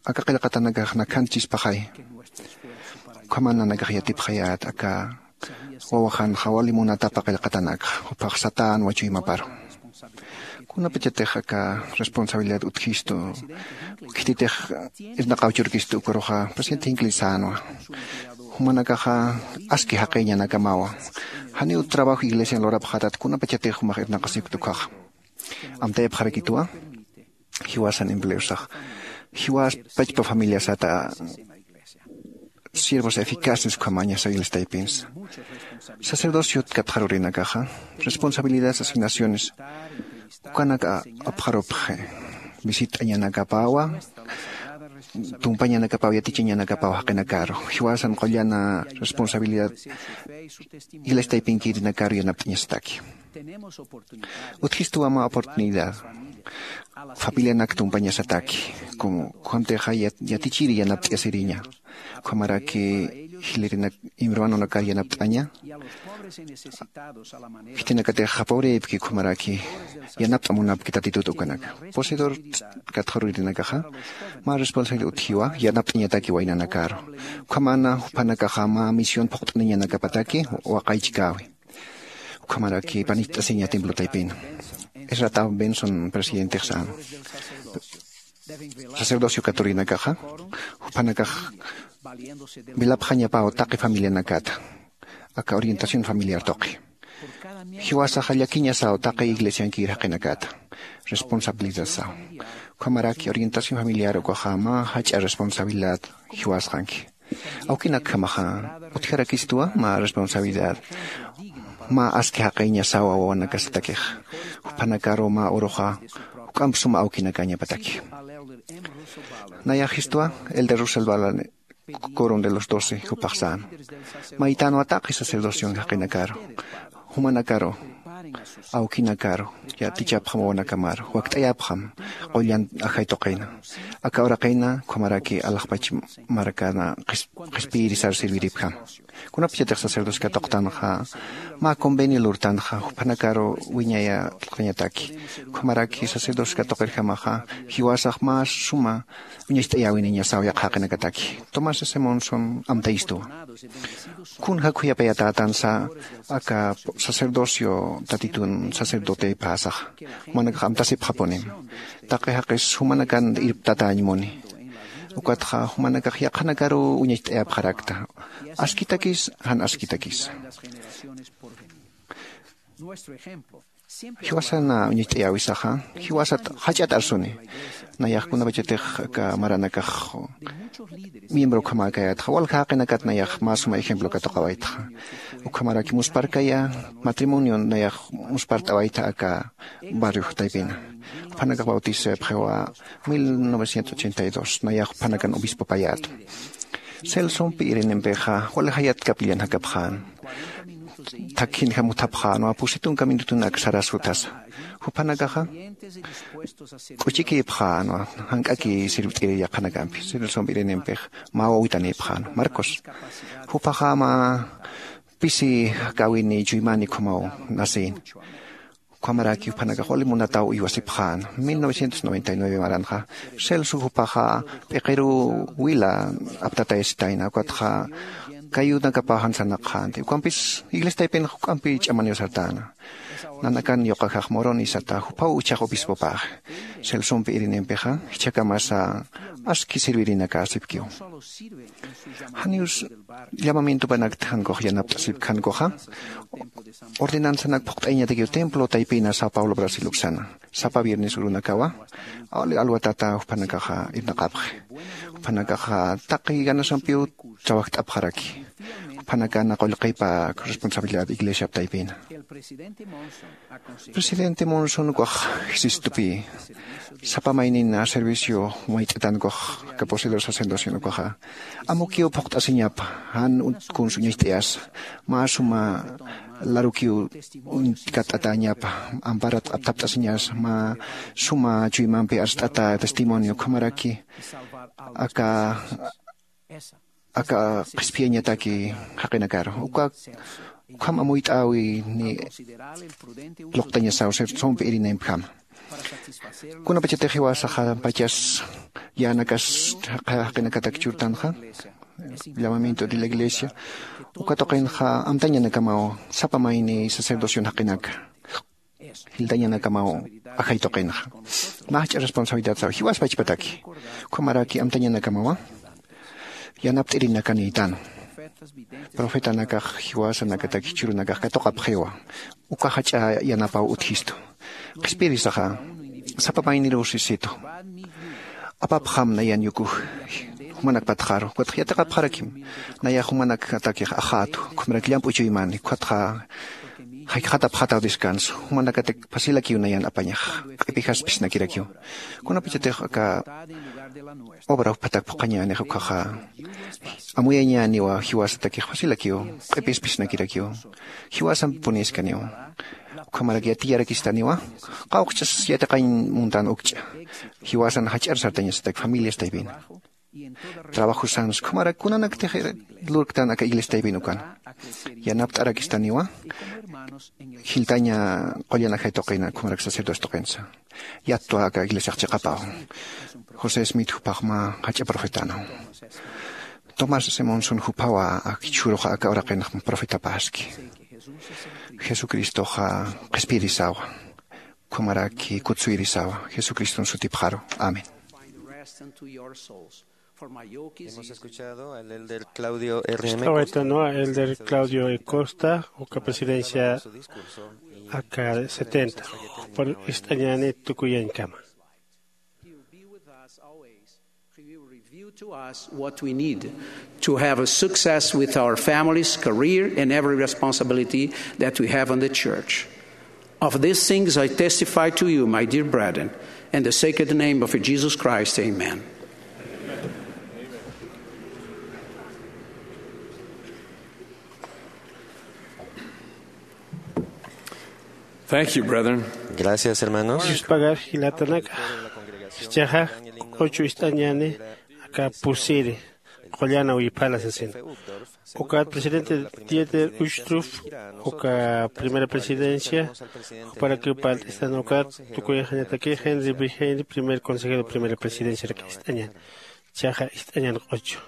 aka qillqatanakax nakhanchispaxay. Ukhaman nanakax yatipxayät aka wawaxanxa wali munatapa qillqatanakxa juphax satänwa chuymaparu. Kunapachatix aka responsabilidad utjistu khititix irnaqaw churkistu ukaruxa presidente jinkli sänwa, jumanakaxa aski jaqïñanakamawa. Janiw trabajo iglesian lurapxätat kunapachatix jumax irnaqasipkta ukhaxa. Amtayapxarakituwa jiwasan empleosax jiwas pachpa familiasata siervos eficaces ukhamañasa iglesia taypinsa. Sacerdociot katxarurinakaxa responsabilidades asignaciones ukanak apxarupxi. Visit'añanakapawa, tumpañanakapaw yatichañanakapaw jaqinakaru jiwasan qullana responsabilidad iglesia taypinkïrinakaru yanapt'añasataki. Utjistuwa mä oportunidad familianak tumpañasataki, como kuntixa yatichiri yanapt'asiriña. Ukhamaraki jilirinak hermanonakar yanapt'aña. Khitinakatixa pobreypki ukhamaraki yanapt'amunapki tatitut ukanaka. Poseedor katxarurinakaxa mä responsabilidad utjiwa yanapt'añataki waynanakaru. Ukhamana juphanakaxa mä misión phuqt'aniñanakapataki waqaychkäwi. Ukhamaraki panicht'asiña templo taypina. Isrataw benson presidentix sän, sacerdocio katurinakaxa juphanakax vilapxañapaw taqi familianakata aka orientación familiar tuqi. Jiwasaxa llakiñasaw taqi iglesiankir jaqinakata responsabilidadsaw. Ukhamaraki orientación familiar ukaxa mä jach'a responsabilidad jiwasqanki. Awkinakjamaxa utjarakistwa mä responsabilidad mä aski jaqiñasawa wawanakasatakixa. Juphanakaru mä uruxa juk'amp suma awkinakañapataki. Nayaxistwa el de russell balan coron de los doce jupaxsan maytanwa taqi sacerdocion jaqinakaru. Jumanakaru awkinakaru yatichapxam wawanakamaru wakt'ayapxam qullan ajay tuqina. Aka uraqina ukhamaraki alaxpach markana qhispiyirisar sirviripjam. Kunapachatix sacerdocio katuqtanxa mä convenio lurtanxa juphanakaru wiñaya tuqañataki. Ukhamaraki sacerdocio katuqirjamaxa jiwasax mä suma uñacht'ayäwiniñasaw yaqha jaqinakataki. Tomás s monson amtayistuwa. Kunja khuyapayatätansa aka sacerdocio tatitun sacerdote phasaxa jumanakax amtasipxapunim. Taqi jaqis jumanakan irptatäñmuni. Ukatxa jumanakax yaqhanakaruw uñacht'ayapxarakta askitakis jan askitakisa. Jiwasan uñacht'ayäwisaxa, jiwasat jach'at arsuni. Nayax kunapachatix aka maranakax miembro ukhamäkayätxa, walja jaqinakat nayax mä suma ejemplo katuqawaytxa. Ukhamaraki musparkaya matrimonio nayax muspart'awayta aka barrio taypina. Juphanakax bautisayapxiwa mil novecientos ochenta y dos, nayax juphanakan obispopayätu. Celsompi irinimpixa, walja jayat capillan jakapxän. Thakhinjam utjapxänwa, pusi tunka minutunak sarasutasa. Juphanakaxa, k'uchikïpxänwa, jank'aki sirvt'iri yaqhanakampi. Celsompi irinimpix, mä wawitanïpxän. Marcos. Jupaxa mä pisi kawini chuymani ukhamaw nasin. Ukhamaraki juphanakax wali munataw uywasipxän. Mil novecientos noventa y nueve maranxa, Celso jupaxa p'iqiruw wila aptatayasitayna, ukatxa kayunakapaw jan sarnaqxänti. Ukampis iglesia taypinxa juk'ampi ch'amaniw sartäna. Nanakan yuqajax Moroni sata, jupaw uchax obispopäxi. Celsompi irinimpixa, jichhakamasa aski sirvirinak sipkiw. Janiw llamamientopanakti jankux yanapt'asipki jankuxa, ordenanzanak phuqt'ayañatakiw templo taypina São Paulo, Brasil uksana. Sapa viernes urunakawa, al-, alwatata juphanakaxa irnaqapxi. Juphanakaxa taqi ganasampiw trabajt'apxaraki. Juphanakana qullqipa responsabilidad iglesiap taypina. Presidente Monson ukax Jesucristopï, sapa maynina servicio mayt'atan ukax, aka poseedor sacerdocio ukaxa, amukiw phuqt'asiñapa, jan ut-, kunsa uñacht'ayasa, mä suma larukiw uñ-, katt'atäñapa, amparat aptapt'asiñasa, mä suma chuymampi arst'ata testimonio, ukhamaraki, aka aka qhispiyañataki jaqinakaru. Uka, ukham amuyt'äwi ni luqtañasaw Celsompi irinimpjama. Kunapachatix jiwasaxa pachas yänakas jaqinakatak churtanxa, llamamiento de la iglesia, uka tuqinxa amtañanakamaw sapa mayni sacerdocion jaqinaka. Jiltañanakamaw ajay tuqinxa. Mä jach'a responsabilidad saw, jiwas pachpataki. Ukhamaraki amtañanakamawa, yanapt'irinakanïtan. Profetanakax jiwasanakatak jichhürunakax katuqapxiwa. Uka jach'a yanapaw utjistu. Qhispiyirisaxa, sapa mayniruw sisitu. Apapxam nayan yukuj jumanak patxaru. Ukatxa yatiqapxarakim. Nayax jumanakat akix ajätu. Ukhamarak llamp'u chuymani. Ukatxa jaykhata apxataw descanso. Jumanakatak fácilakiw nayan apañax. Q'ipixas phisnakirakiw. Kunapachatix aka obra juphatak phuqhañänix ukkhaxa, amuyañäniwa jiwasatakix fácilakiw. Q'ipis phisnakirakiw. Jiwasampi puniskaniw. Ukhamarak yatiyarakistaniwa. Qawqchas yatiqañ muntan ukch'a. Jiwasan jach'ar sartañasatak familias taypina. Trabajosansa, ukhamarak kunanaktix lurktan aka iglesia taypin ukan. Yanapt'arakistaniwa, jiltaña qullan ajay tuqina, ukhamarak sacerdote tuqinsa. Yattwa aka iglesiax chiqapaw. José Smith jupax mä jach'a profetanaw. Tomás S. Monson jupawa, ak jichhüruxa aka uraqinx profetapäski. Jesucristoxa qhispiyirisawa. Ukhamaraki kutsuyirisawa. Jesucriston sutipxaru. Amén. Hemos escuchado al elder Claudio R. M. Costa. Estawaytanwa elder Claudio E. Costa, uka presidencia aka setenta. Por ist'añani tukuyañkama. He will be with us always. He will reveal to us what we need to have a success with our families, career, and every responsibility that we have on the church. Of these things I testify to you, my dear brethren, in the sacred name of Jesus Christ, amen. Thank you, brethren. Gracias, hermanos. Yuspagar jilatanaka. Jichhaxa, ocho ist'añani, aka pusiri, qullana wiphala sasin. Ukat presidente Dieter Uchtdorf, uka primera presidencia, juparakiw parlt'istan ukat, tukuyañataki Henry B. Henry, primer consejero, primera presidencia, ist'añan. Jichhaxa ist'añan ocho.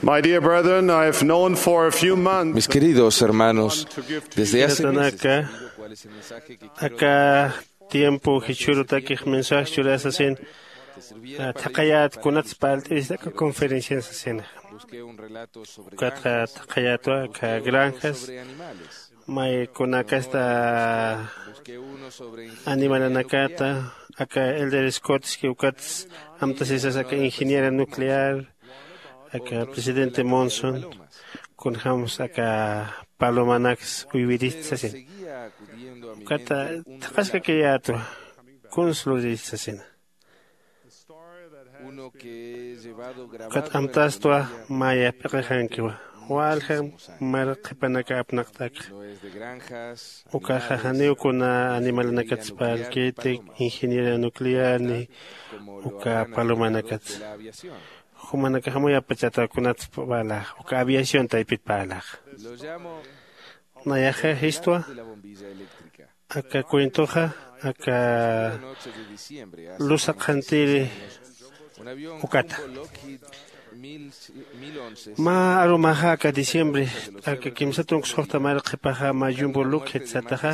My dear brethren, I have known for a few months. Mis queridos hermanos, desde hace meses he querido cuál es el mensaje que quiero aka tiempo jichhürutakix mensaje churasasina. Thaqayät kunats parlt'irista aka conferencian sasina. Ukatxa thaqayätwa aka granjas may kunakasta animalanakata aka elder scott ski ukats amtasisas aka ingeniera nuclear aka presidente monson kunjämsa aka palomanaks uywirista sasina. Ukata thaqaskakayätwa kuns lurista sasina. Ukat amtastwa maya p'iqixankiwa walja mar qhipanaka apnaqt'akxa. Ukaxa janiw kuna animalanakatspalkiti ingeniera nuclear ni uka palomanakatsa. Jumanakax amuyapachata kunatspalaxa uka aviación taypitpalaxa. Nayaxa jistwa aka cuentoxa aka lusa qhantiri. Ukata mä arumaxa aka diciembre aka kimsa tunka suxta mari qhipaxa mä yumbu lukjit sataxa.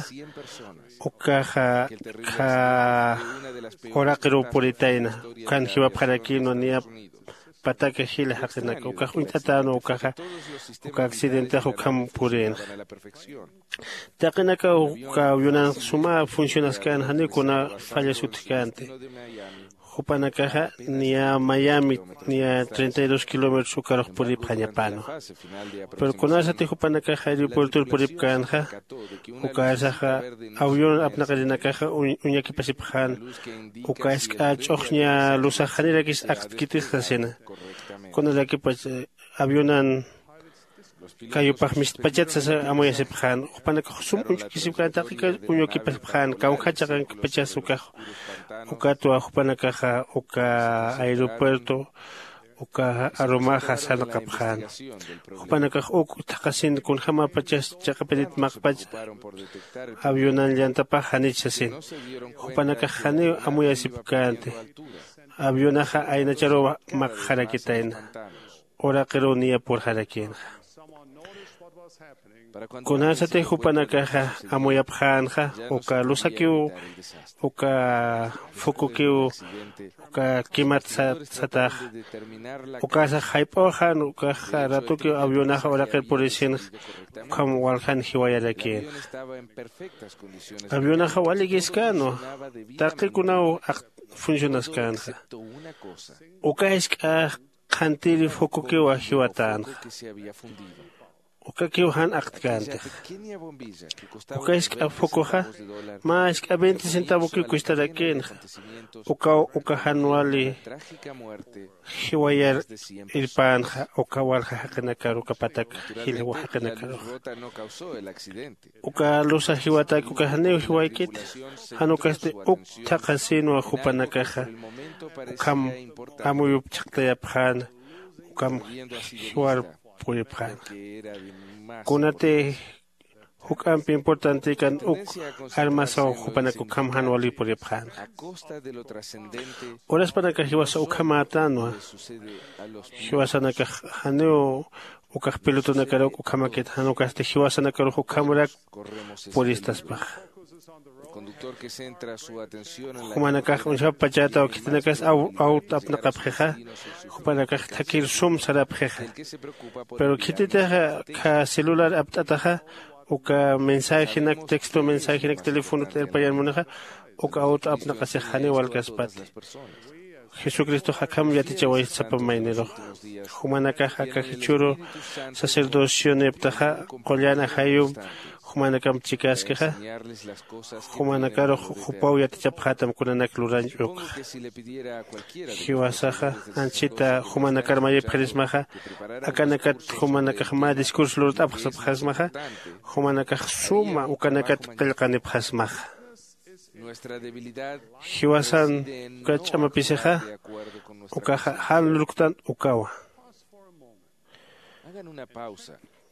Ukaxa kha uraqiruw puritayna ukan jiwapxarakïnwa niyap pataka jila jaqinaka ukax uñt'atänwa ukaxa uka accidentex ukham purïnxa. Taqinakaw uka avionanx suma funcionaskän janiw kuna fallas utjkänti. Jupanakaxa niya miami niya treinta y dos kilómetros ukarux puripxañapänwa. Pero kunasati jupanakax aeropuertor puripkänxa ukasaxa avión apnaqirinakaxa uñakipasipxän. Uka isk'a ch'uxña lusax janirakis aktkitix sasina. Kunarakipach avionan kayupax mistpachat sasa amuyasipxän jupanakax sum uñch'ukisipkän taqika uñukipasipxän kawjachaqankipachas ukax. Ukatwa jupanakaxa uka aeropuerto uka arumaxa sarnaqapxän. Jupanakax uk thaqhasin kunjämapachas chiqapirit maqpach avionan llantapax janich sasin. Jupanakax janiw amuyasipkänti. Avionaxa aynacharuw maqxarakitayna uraqiruw niyapurxarakïnxa. Kunasati jupanakaxa amuyapxänxa uka lusakiw uka fukukiw uka kimat sataxa ukasax jayp'uxan ukaxa ratukiw avionaxa uraqir purisinxa. Ukham waljan jiwayarakïnxa. Avionaxa walikiskänwa taqikunaw akt funcionaskänxa. Uka isk'a qhantiri fukukiwa jiwatänxa. Ukakiw jan aktkäntix. Uka isk'a fukuxa mä isk'a veinte centavokiw kustarakïnxa. Ukaw uka jan wali jiwayar irpänxa uka walja jaqinakar uka patak jilwa jaqinakaruxa. Uka lusa jiwatak uka janiw jiwaykiti. Jan ukasti uk thaqhasïnwa jupanakaxa ukham amuyup chhaqtayapxäna. Ukham jiwar puripxänxa. Kunati juk'amp importantikan uk armasaw jupanak ukham jan wali puripxänxa. Uraspanakax jiwasa ukhamätänwa. Jiwasanakax janiw ukax pilotonakar uk ukhamakit jan ukasti jiwasanakarux ukhamrak puristaspaxa. Jumanakax uñjapachätaw khitinakas awt apnaqapxixa. Jupanakax thakir sum sarapxixa. Pero khititixa kha celular apt'ataxa uka mensajenak texto mensajenak telefonot irpayan munaxa uka awt apnaqasix janiw walkaspati. Jesucristox akham yatichawaysta sapa mayniruxa. Jumanakax aka jichhüru sacerdocioniptaxa qullan ajayum jumanakamp chikaskixa. Jumanakarux jupaw yatichapxätam kunanak lurañ ukxa. Jiwasaxa anchhita jumanakar mayipxirismaxa akanakat jumanakax mä discurso lurt'apxsapxasmaxa. Jumanakax suma ukanakat qillqanipxasmaxa. Jiwasan uka ch'amapisixa ukaxa jan lurktan ukawa.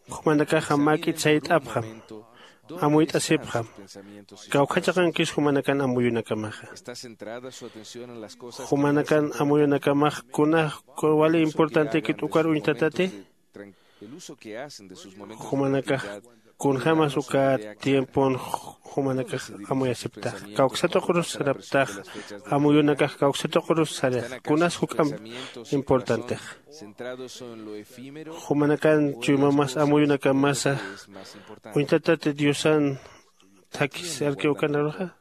Jumanakaxa mäk'it sayt'apxam. amuyt'asipxam. Kawkhachaqankis jumanakan amuyunakamaxa. Jumanakan amuyunakamax kunax wali importantekit ukar uñtatati? Jumanakax kunjämas uka tiempon jumanakax amuyasiptax, kawksatuqrus saraptax, amuyunakax kawksatuqrus sarix. Kunas juk'amp importantex? Jumanakan chuymamas amuyunakamasa uñtatati diosan thakhisarki ukanaruxa?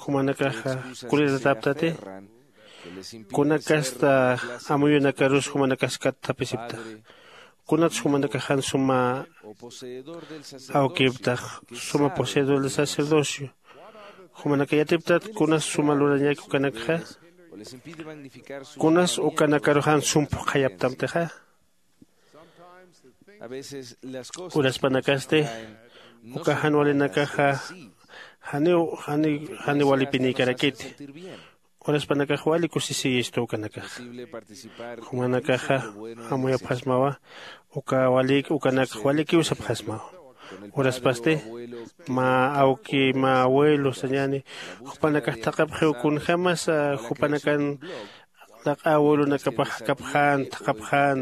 Jumanakaxa kuliratäptati? Kunakasta amuyunakarus jumanakas kat thapisiptax? Kunats jumanakax jan suma awkiptax, suma poseedor de sacerdocio? Jumanaka yatiptat kunas suma lurañäki ukanakxa? Kunas ukanakaru jan sum phuqhayaptamtixa? Uraspanakasti uka jan walinakaxa janiw janiw janiw walipinïkarakiti. Uraspanakax wali kusisiyistu ukanakaxa. Jumanakaxa amuyapxasmawa uka walïk ukanakx walikiw sapxasmawa. Uraspasti mä awki mä abuelo sañäni jupanakax thaqhapxiw kunjämasa jupanakan laq'a abuelonakapax jakapxän thaqhapxän.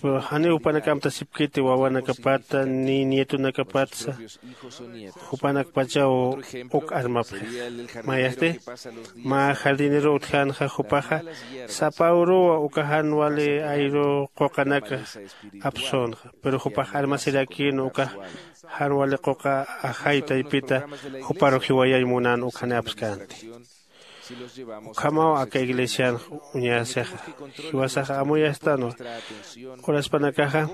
Pero janiw jupanak amtasipkiti wawanakapata ni nietonakapatsa. Jupanakpachaw uk armapxix. Mayasti mä jardinero utjänxa jupaxa sapa uruw uka jan wali ayru quqanak apsünxa. Pero jupax armasirakïn uka jan wali quqa ajay taypita juparu jiwayañ munän ukxani apskänti. Ukhamaw aka iglesianx uñäsixa. Jiwasaxa amuyastänwa uraspanakaxa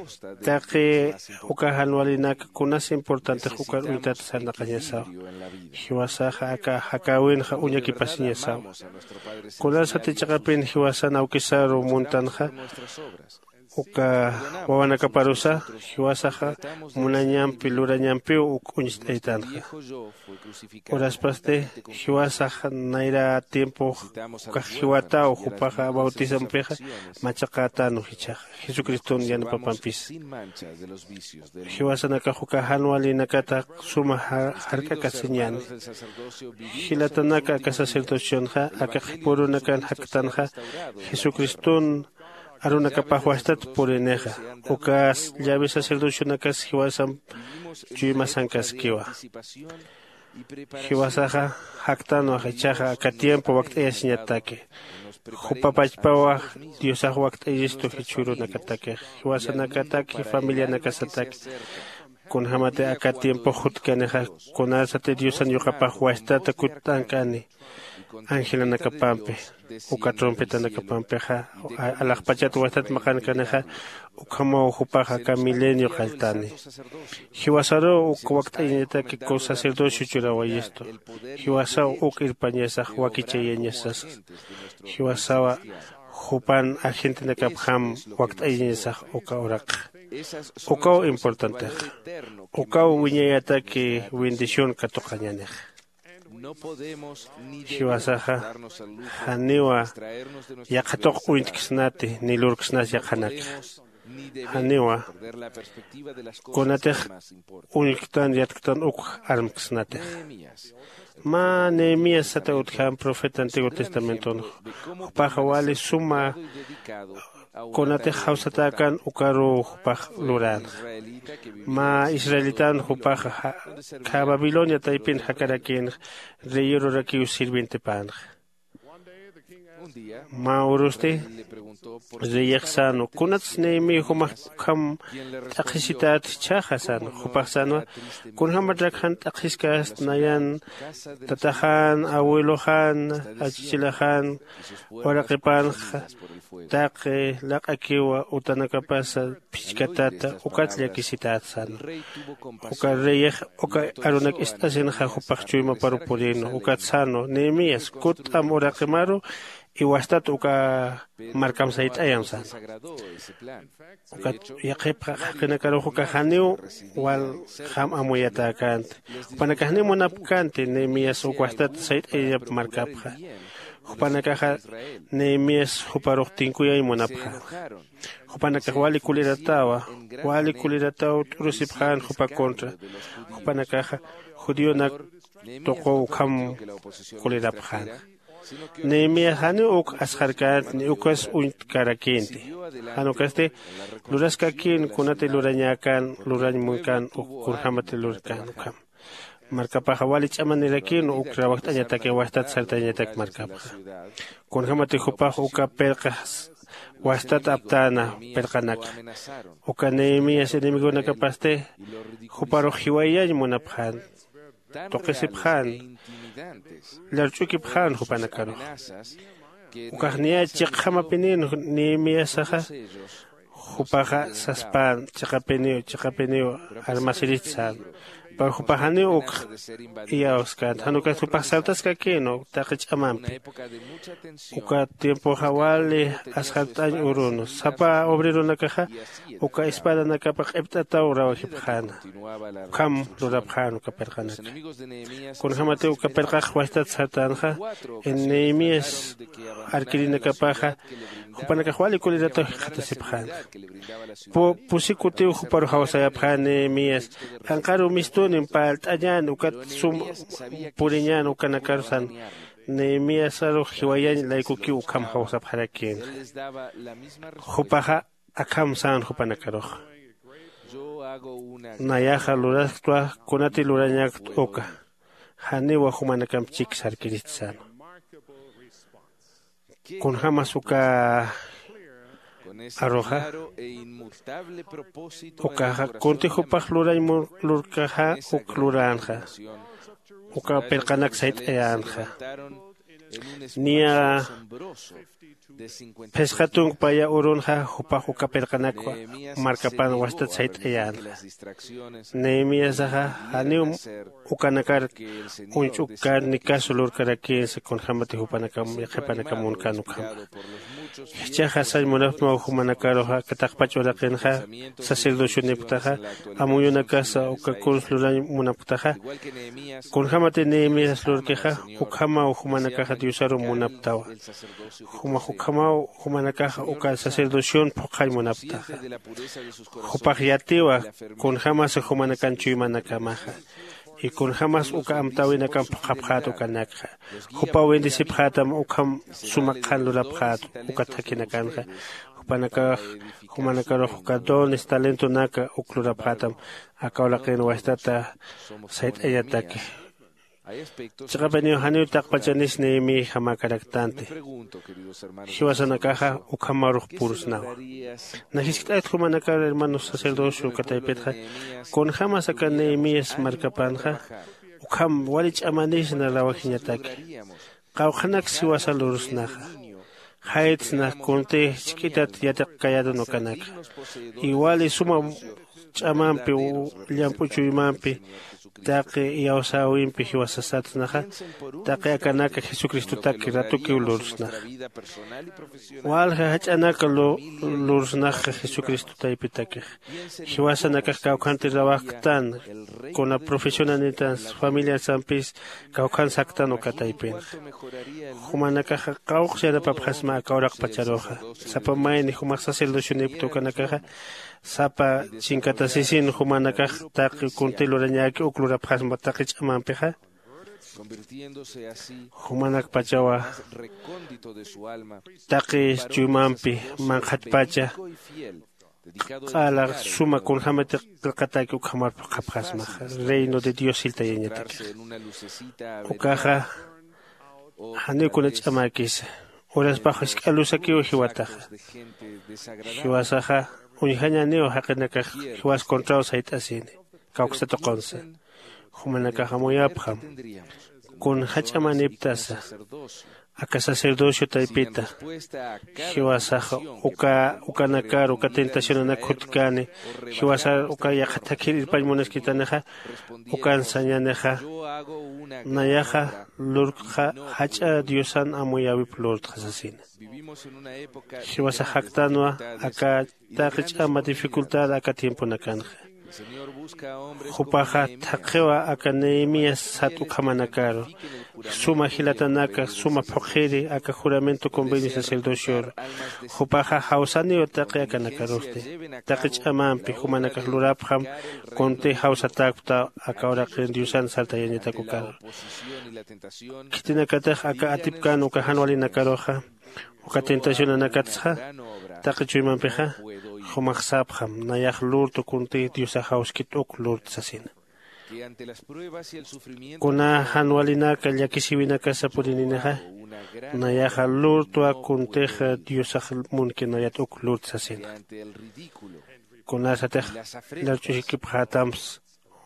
taqi uka jan walinak kunas importantix ukar uñtat sarnaqañasawa. Jiwasaxa aka jakäwinxa uñakipasiñasawa. Kunasati chiqapin jiwasan awkisaru muntanxa uka wawanakaparusa jiwasaxa munañampi lurañampiw uk uñst'aytanxa. Uraspasti jiwasax nayra tiempox ukax jiwataw jupaxa bautismampixa machaqätänwa jichhaxa jesucriston yanapapampisa. Jiwasanakax uka jan walinakata suma jark'akasiñäni. Jilatanaka aka sacerdocionxa aka qhipürunakan jaktanxa jesucriston arunakapax wastat purinixa. Ukas llavi sacerdocionakas jiwasamp chuymasankaskiwa. Jiwasaxa jaktanwa jichhaxa aka tiempo wakt'ayasiñataki. Jupa pachpawa diosax wakt'ayistu jichhürunakatakix jiwasanakataki familianakasataki. Kunjämati aka tiempox jutkanixa kunasati diosan yuqapax wastata kutt'ankani angelanakapampi uka trompetanakapampixa alaxpachat wastat maqankanixa. Ukhamaw jupax aka milenio qalltani. Jiwasaruw uk wakt'ayañataki sacerdocio churawayistu. Jiwasaw uk irpañasax wakichayañasasa. Jiwasawa jupan agentenakapjam wakt'ayañasax uka uraqxa. Ukaw importantexa. Ukaw wiñayataki bendición katuqañänixa. Jiwasaxa janiwa yaqha tuq uñtksnati ni lurksnas yaqhanakxa. Janiwa kunatix uñktan yatktan uk armksnatixa. Mä nehemías sata utjäm profeta antiguo testamentonxa. Jupaxa wali suma kunatix jawsatäkän ukaruw jupax luränxa. Mä israelitan jupaxa khä babilonia taypin jakarakïnxa reyerurakiw sirvientipänxa. Mä urusti reyix sänwa kunats nehemí jumax ukham t'aqhisität jichhaxa sänwa jupax sänwa kunjämatrak jan t'aqhiskast nayan tataxän abueloxän achichilaxän uraqipänxa taqi laq'akiwa utanakapasa phichkatata ukat llakisität sänwa. Uka reyix uka arunak ist'asinxa jupax chuymaparu purinwa ukat sänwa nehemías kutt'am uraqimaru iwastat uka markam sayt'ayam sänwa. Ukat yaqhip jaqinakarux uka janiw waljam amuyatäkänti. Jupanakax janiw munapkänti nehemías uk wastat sayt'ayañap markapxa. Jupanakaxa nehemías juparux tinkuyañ munapxänxa. Jupanakax wali kuliratawa, wali kulirataw t'urusipxän jupa contra. Jupanakaxa judionak tuquw ukham kulirapxänxa. Nehemías janiw uk asxarkänti ni ukas uñtkarakïnti. Jan ukasti luraskakïn kunati lurañäkän lurañ munkän uk kunjämati lurkän ukham. Markapaxa wali ch'amanirakïn uk rawajt'añatakiw wastat sartañatak markapxa. Kunjämati jupax uka pirqas wastat aptäna pirqanakxa. Uka nehemías enemigonakapasti juparux jiwayañ munapxän, tuqisipxän, llarch'ukipxän jupanakarux. Ukax niya chiqjamapinïn nehemíasaxa jupaxa saspän chiqapiniw chiqapiniw armasirist sän. Pero jupax janiw ukx iyawskänti jan ukas jupax saltaskakïnwa taqi ch'amampi. Uka tiempoxa wali asxart'añ urunu sapa obreronakaxa uka espadanakapa q'ipt'ataw rawajipxäna. Ukham lurapxän uka pirqanaka. Kunjämatiw uka pirqax wastat sartänxa, nehemías arkirinakapaxa jupanakax wali kulirataw jikxatasipxänxa. Pusi kutiw juparux jawsayapxän nehemías, q'anqaru mistunim parlt'añän ukat sum puriñän ukanakaru san. Nehemíasarux jiwayañ laykukiw ukham jawsapxarakïnxa. Jupaxa akham sän jupanakaruxa, nayaxa lurasktwa kunati lurañäkt uka. Janiwa jumanakamp chik sarkirist sänwa. Kunjämas uka aruxa ukaxa kunti jupax lurañ lurkaxa uk luränxa. Uka pirqanak sayt'ayänxa. Niya phisqa tunk paya urunxa jupax uka pirqanak markapan wastat sayt'ayänxa. Nehemíasaxa janiw ukanakar uñch'ukkänt ni caso lurkarakïnsa kunjämati jupanakam yaqhipanakam munkän ukhama. Jichhaxa sañ munapxtmaw jumanakaruxa aka taqpach uraqinxa sacerdocionipktaxa amuyunakasa uka kuns lurañ munapktaxa. Kunjämati nehemías lurkixa ukhamaw jumanakaxa diosaru munapktawa. Jumax ukhamaw jumanakaxa uka sacerdocion phuqhañ munapktaxa. Jupax yatiwa kunjämasa jumanakan chuymanakamaxa. Y kunjämas uka amtäwinakamp phuqhapxät ukanakxa. Jupaw bendecipxätam ukham suma qhan lurapxät uka thakhinakanxa. Jupanakax jumanakarux uka dones talentonaka uk lurapxätam aka uraqin wastata sayt'añataki. Chiqapiniw janiw taqpachanis nehemíajamäkaraktanti. Jiwasanakaxa ukhamarux purusnawa. Najiskt'ayt jumanakar hermanos sacerdocio uka taypitxa kunjämas aka nehemías markapanxa ukham wali ch'amanisna rawajiñataki. Qawqhanaks jiwasa lurusnaxa. Jaytsna kunti jisk'itat yatiqkayätan ukanakxa. Iwali suma ch'amampi llamp'u chuymampi taqi iyawsäwimpi jiwasasatsnaxa. Taqi akanaka jesucristotaki ratukiw lurusnaxa. Walja jach'anaka lurusnaxa jesucristo taypitakix. Jiwasanakax kawkhanti rawajktan kuna profesionanitan familiarsampis kawkhan saktan uka taypinxa. Jumanakaxa qawqsharapapxasma aka uraqpacharuxa. Sapa mayni jumax sacerdocionipkta ukanakaxa sapa chinkatasisin jumanakax taqi kunti lurañäki uk lurapxasma taqi ch'amampixa. Jumanakpachawa taqi chuymampi manqhatpacha q'ala suma kunjämati qillqataki ukhamar phuqhapxasmaxa. Reino de dios jiltayañatakixa. Ukaxa janiw kuna ch'amäkisa. Uraspax jisk'a luzakiw jiwataxa. Jiwasaxa uñjañäniw jaqinakax jiwas contraw sayt'asini. Kawksa tuqunsa jumanakax amuyapxam. Kun jach'amaniptasa aka sacerdocio taypita. Jiwasaxa uka ukanakar uka tentacionanak jutkäni jiwasar uka yaqha thakhir irpañ munaskitanixa. Ukan sañänixa nayaxa lurktxa jach'a diosan amuyäwip lurtxa sasina. Jiwasax jaktanwa aka taqi ch'ama dificultad aka tiemponakanxa. Jupaxa thaqhiwa aka Nehemías sat ukhamanakaru, suma jilatanaka suma phuqhiri aka juramento convenio sacerdocioru. Jupaxa jawsaniw taqi akanakarusti, taqi ch'amampi jumanakax lurapxam, kunti jawsatäkpta aka uraqin Diosan sartayañatak ukaru. Khitinakatix aka atipkän uka jan walinakaruxa, uka tentacionanakatsa, taqi chuymampixa, jumax sapxam, nayax lurtu kunti Diosax jawskit uk lurtu sasina. Kuna jan walinaka llakisiwinakasa purininixa, nayaxa lurtwa kuntixa Diosax munki nayat uk lurtu sasina. Kunasatix larch'uskipxätamps,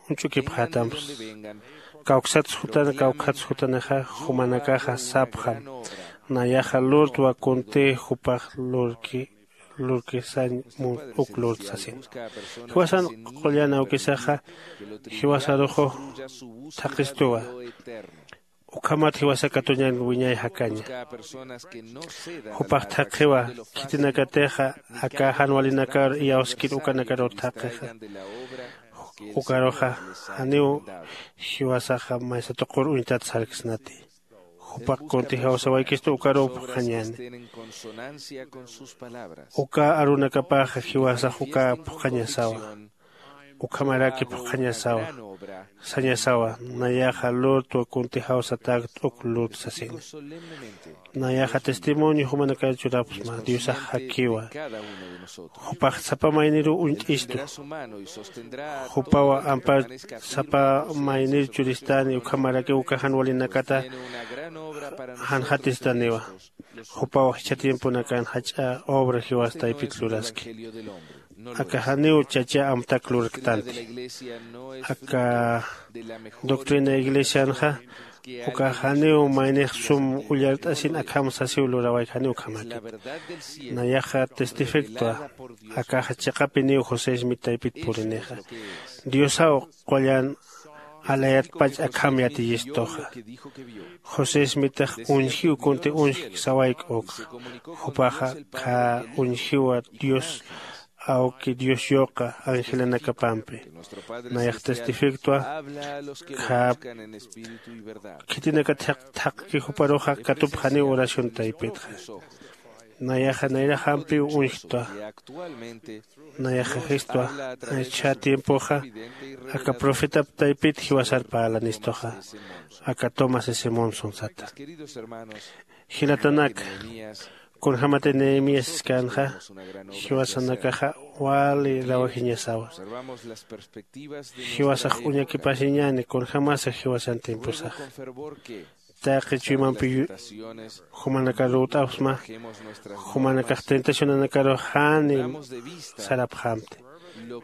uñch'ukipxätamps, kawksats jutana kawkhats jutanixa, jumanakaxa sapxam, nayaxa lurtwa kunti jupax lurki lurki sañ mun uk lurtu sasin. Jiwasan qullan awkisaxa jiwasaruxu thaqistuwa. Ukhamat jiwasa katuñan wiñay jakaña. Jupax thaqhiwa, khitinakatixa aka jan walinakar iyawskir ukanakaruw thaqixa. Ukaruxa janiw jiwasaxa maysa tuqur uñtat sarksnati. Jupax kunti jawsawaykistu ukaruw phuqhañäni. Uka arunakapaxa jiwasax uka phuqhañasawa. Ukhamaraki phuqhañasawa, sañasawa, nayaxa lurtwa kunti jawsatäkt uk lurtu sasina. Nayaxa testimonio jumanakar churapxsma, Diosax jakiwa. Jupax sapa mayniruw uñt'istu. Jupaw ampar sapa maynir churistani, ukhamarakiw uka jan walinakata janxatistaniwa. Jupaw jichha tiemponakan jach'a obra jiwas taypit luraski. Aka janiw chacha amtak lurktanti. Aka doctrina iglesianxa, uka janiw maynix sum ullart'asin akham sasiw lurawayk, janiw ukhamäkit. Nayaxa testifiktwa, akaxa chiqapiniw José Smith taypit purinixa. Diosaw qullan alayatpach akham yatiyistuxa. José Smithax uñjiw kunti uñjk sawayk ukxa. Jupaxa khä uñjiwa Dios awki Dios yuqa angelanakapampi. Nayax testifiktwa khä khitinakatix thaqki juparuxa katupxaniw oración taypitxa. Nayaxa nayraxampiw uñjktwa. Nayaxa jistwa, jichha tiempoxa aka profetap taypit jiwasar parlanistuxa, aka Thomas S Monson sata. Jilatanaka, kunjämatix Nehemías siskänxa, jiwasanakaxa wali rawajiñasawa. Jiwasax uñakipasiñäni kunjämasa jiwasan tiemposaxa. Taqi chuymampi jumanakar lurt'apxsma, jumanakax tentacionanakaru jani sarapxämti.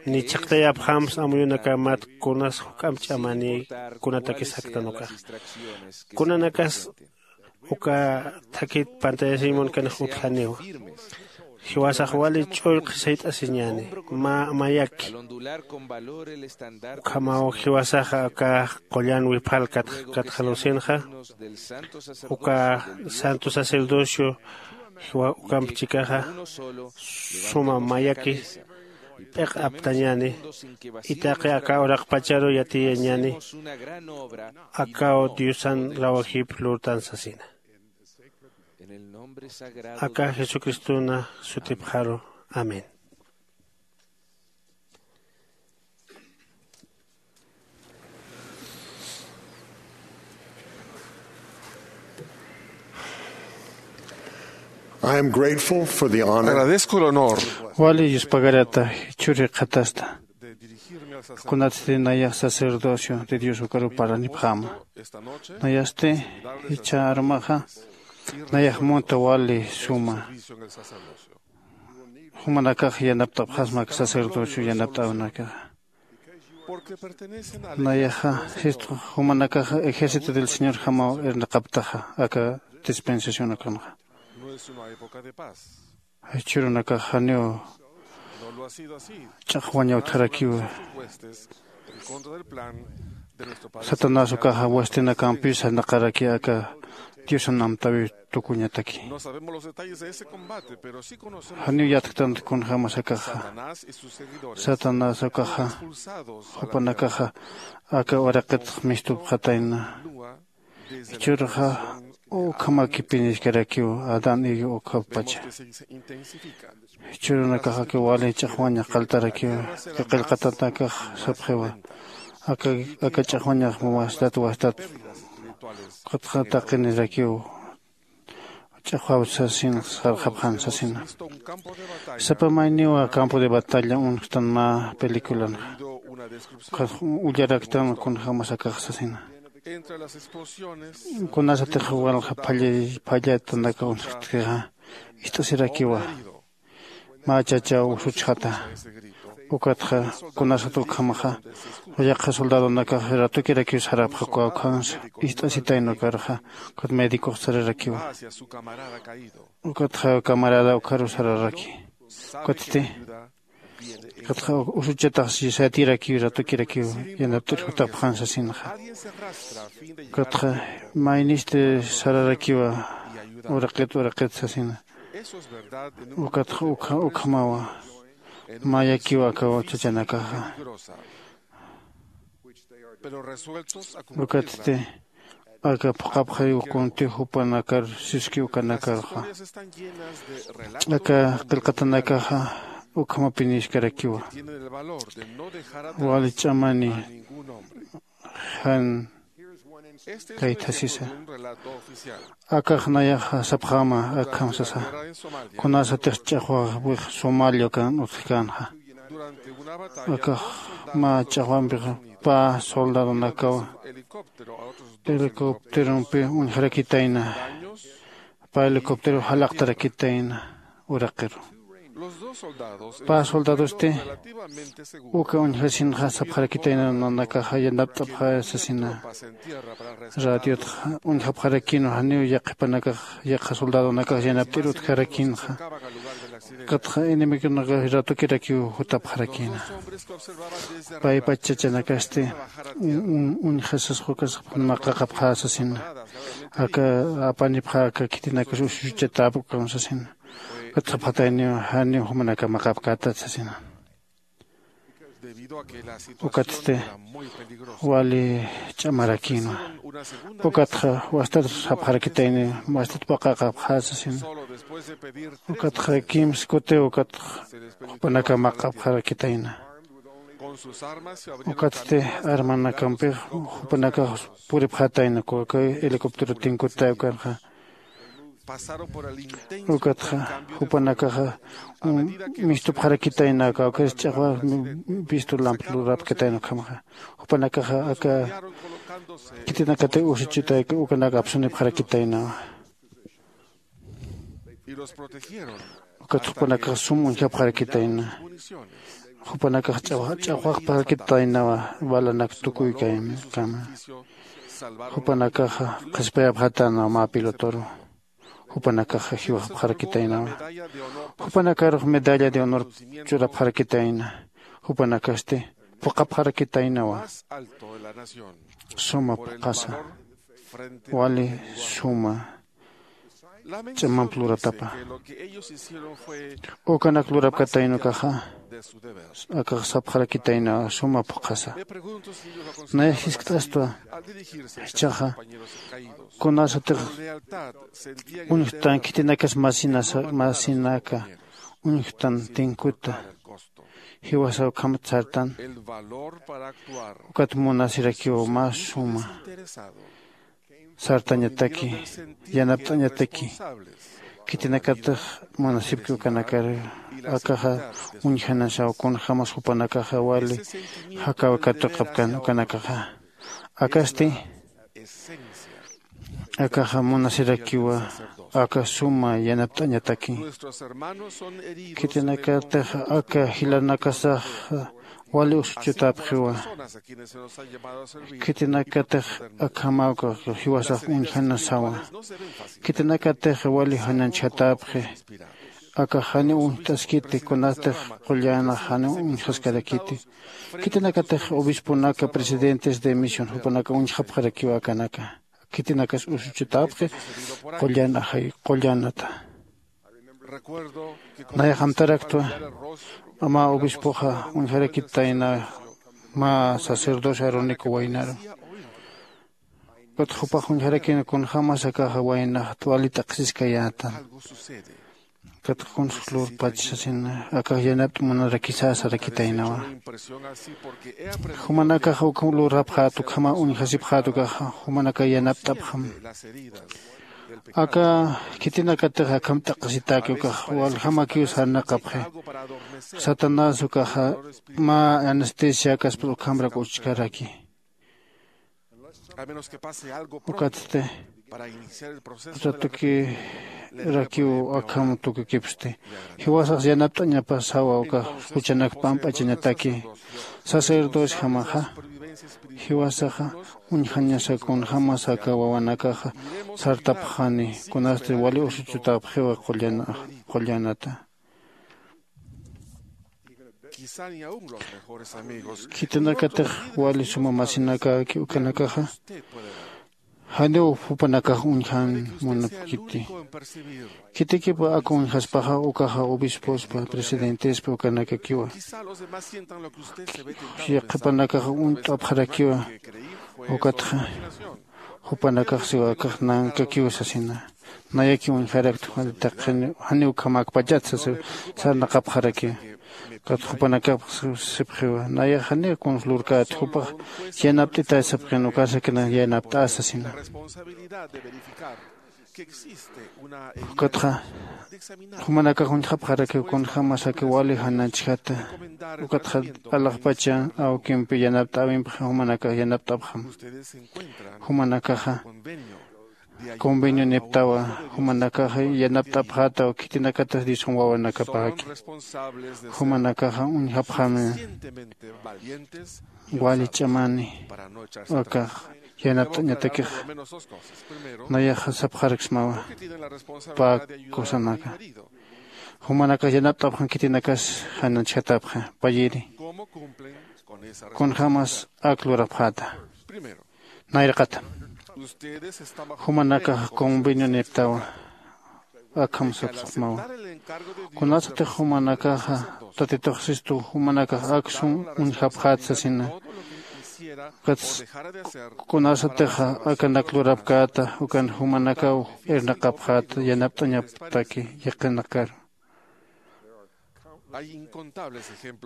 Ni chhaqtayapxämsa amuyunakamat kunas juk'amp ch'amani kunatakis jaktan ukaxa. Kunanakas uka thakit pantallasiñ munkanix utjaniwa. Jiwasax wali ch'ullqi sayt'asiñäni, mä mayaki. Ukhamaw jiwasaxa aka qullan wiphalkat katxalusinxa, uka santo sacerdocio jiwa ukamp chikaxa suma mayaki p'iq aptañäni, itaqi aka uraqpacharu yatiyañäni, akaw Diosan rawajip lurtan sasina. Aka Jesucristona sutipxaru. Amén. I am grateful for the honor. Agradezco el honor. Wali yuspagarata churi qhatasta. Kunatsti nayax sacerdocio de Dios ukaru parlanipxäma. Nayasti jichha armaxa nayax munta wali suma. Jumanakax yanapt'apxasma aka sacerdocio yanapt'awnakaxa. Nayaxa jistux jumanakaxa ejército del Señorjamaw irnaqaptaxa aka dispensación ukanxa. Jichhürunakax janiw ch'aqwañaw tharakiwa. Satanás ukaxa huestinakampi sarnaqaraki aka Diosan amtäwiw tukuñataki. Janiw yatktanta kunjämas akaxa. Satanás ukaxa jupanakaxa aka uraqitx mistupxatayna. Jichhürxa ukhamakipiniskarakiw adán y eva ukhapacha. Jichhürunakaxakiw wali ch'axwañax qaltarakiw. Qillqatanakax sapxiwa aka ch'axwañax wastat wastat ukatxa taqinirakiw ch'axwaw sasin sarxapxan sasina. Sapa mayniwa campo de batalla uñjtan mä peliculanxa. Ukax ullaraktan kunjämas akax sasina. Kunasatix walja phallatanaka uñjtkixa ist'asirakiwa. Mä chachaw usuchxata. Ukatxa kunasat ukhamaxa yaqha soldadonakax ratukirakiw sarapxa kawkhansa ist'asitayna ukarxa. Ukat médicox sararakiwa. Ukatxa camarada ukaru sararaki. Ukatsti ukatxa usuchatax saytirakiw ratukirakiw yanapt'ir jutapxan sasinxa. Ukatxa maynisti sararakiwa uraqit uraqit sasina. Ukatxa ukhamawa mayakiw aka chachanakaxa. Ukatsti aka phuqhapxariw kunti jupanakar siski ukanakaruxa. Aka qillqatanakaxa ukhamapiniskarakiwa. Wali ch'amani jan kaythasisa. Akax nayaxa sapxäma akham sasa. Kunasatix ch'axwawix somalia ukan utjkänxa. Akax mä ch'axwampix pä soldadonakaw helicópterompi uñjarakitayna. Pä helicóptero jalaqtarakitayna uraqiru. Pä soldadosti uka uñjasinxa sapxarakitayna nanakaxa yanapt'apxä sasina. Radiotxa uñjapxarakïnwa janiw yaqhipanakax yaqha soldadonakax yanapt'ir utjarakïnxa. Ukatxa enemigonakax ratukirakiw jutapxarakïna. Paypach chachanakasti uñjasasxa ukasapxan maqaqapxä sasina. Aka apanipxä aka khitinakas usuchatäpkam sasina. Ukatxa phatayniw janiw jumanaka maqapkätat sasina. Ukatsti wali ch'amarakïnwa. Ukatxa wastat sapxarakitayniw wastat paqaqapxä sasina. Ukatxa kimsa kutiw ukatxa jupanaka maqapxarakitayna. Ukatsti armanakampix jupanakax puripxatayna kawkay helicóptero tinkutay ukarxa. Ukatxa jupanakaxa mistupxarakitayna kawkay ch'axwa pistu lamp lurapkatayna ukhamaxa. Jupanakaxa aka khitinakatix usuchutay ukanak apsunipxarakitaynawa. Ukat jupanakax sum uñjapxarakitayna. Jupanakax ch'axwaqpxarakitaynawa balanak tukuykaykama. Jupanakaxa qhispayapxatäna mä pilotoru. Jupanakaxa jiwxapxarakitaynawa. Jupanakarux medalla de honor churapxarakitayna. Jupanakasti phuqhapxarakitaynawa. Suma phuqhasa wali suma ch'amamp luratapa. Ukanak lurapkatayna ukaxa akax sapxarakitayna suma phuqhasa. Nayax jiskt'astwa jichhaxa kunasatix uñjtan khitinakas masinaka uñjtan tinkuta jiwasa ukhamat sartan. Ukat munasirakiw mä suma sartañataki yanapt'añataki. Khitinakatix munasipki ukanakar akaxa uñjanasaw kunjämas jupanakaxa wali jakaw katuqapkan ukanakaxa. Akasti akaxa munasirakiwa aka suma yanapt'añataki. Khitinakatix aka jilanakasaxa wali usuchutapxiwa. Khitinakatix akhamaw jiwasax uñjanasawa. Khitinakatix wali janañchjatapxi. Akax janiw uñjt'askiti kunatix qullänax janiw uñjaskarakiti. Khitinakatix obisponaka presidentes de misión jupanaka uñjapxarakiwa akanaka. khitinakas usuchutapxi qullan ajay qullanata. Nayax amtaraktwa ama obispoxa uñjarakitayna mä sacerdocio aroniku waynaru. Ukat jupax uñjarakina kunjämas akaxa waynax wali t'aqhisiskayätan. Ukat kuns lurpach sasina akax yanapt'amunarakisä sarakitaynawa. Jumanakaxa ukham lurapxät ukhama uñjasipxät ukaxa jumanakax yanapt'apxam. Aka khitinakatix akham t'aqhisitäki ukax waljamakiw sarnaqapxi. Satanás ukaxa mä anestesiakaspa ukhamrak uchkaraki. Ukatsti usatukirakiw akham tukukipsti. Jiwasax yanapt'añapasawa ukax juchanak pamp'achañataki. Sacerdociojamaxa jiwasaxa uñjañasa kunjämas aka wawanakaxa sartapxani kunasti wali usuchutapxiwa qullanata. Khitinakatix wali suma masinakaki ukanakaxa janiw jupanakax uñjan munapkiti. Khitikipa aka uñjaspaxa ukaxa obispospa presidentespa ukanakakiwa. Yaqhipanakaxa uñt'apxarakiwa. Ukatxa jupanakax siwa akax nankakiw sasina. Nayakiw uñjaraktwa taqin janiw ukhamäkpachat sasa sarnaqapxarakiwa. Ukat jupanakapax sipxiwa nayax janiw kuns lurkät jupax yanapt'itay sapxin ukasakina yanapt'ä sasina. Ukatxa jumanakax uñjapxarakiw kunjämas aka wali jananchjata. Ukatxa alaxpacha awkimpi yanapt'äwimpxa jumanakax yanapt'apxam. Jumanakaxa conveniuniptawa. Jumanakaxa yanapt'apxätaw khitinakatas diosum wawanakapäki. Jumanakaxa uñjapxami wali ch'amani akax yanapt'añatakix. Nayaxa sapxaraksmawa pä cosanaka jumanakax yanapt'apxan khitinakas jananchjatapxa payiri. Kunjämas ak lurapxäta nayraqata jumanakax conveniuniptawa. Akham sapsxmawa kunasatix jumanakaxa tatitux sistu jumanakax aksum uñjapxät sasina. Ukats kunasatixa akanak lurapkäta ukan jumanakaw irnaqapxät yanapt'añaptaki yaqinakaru.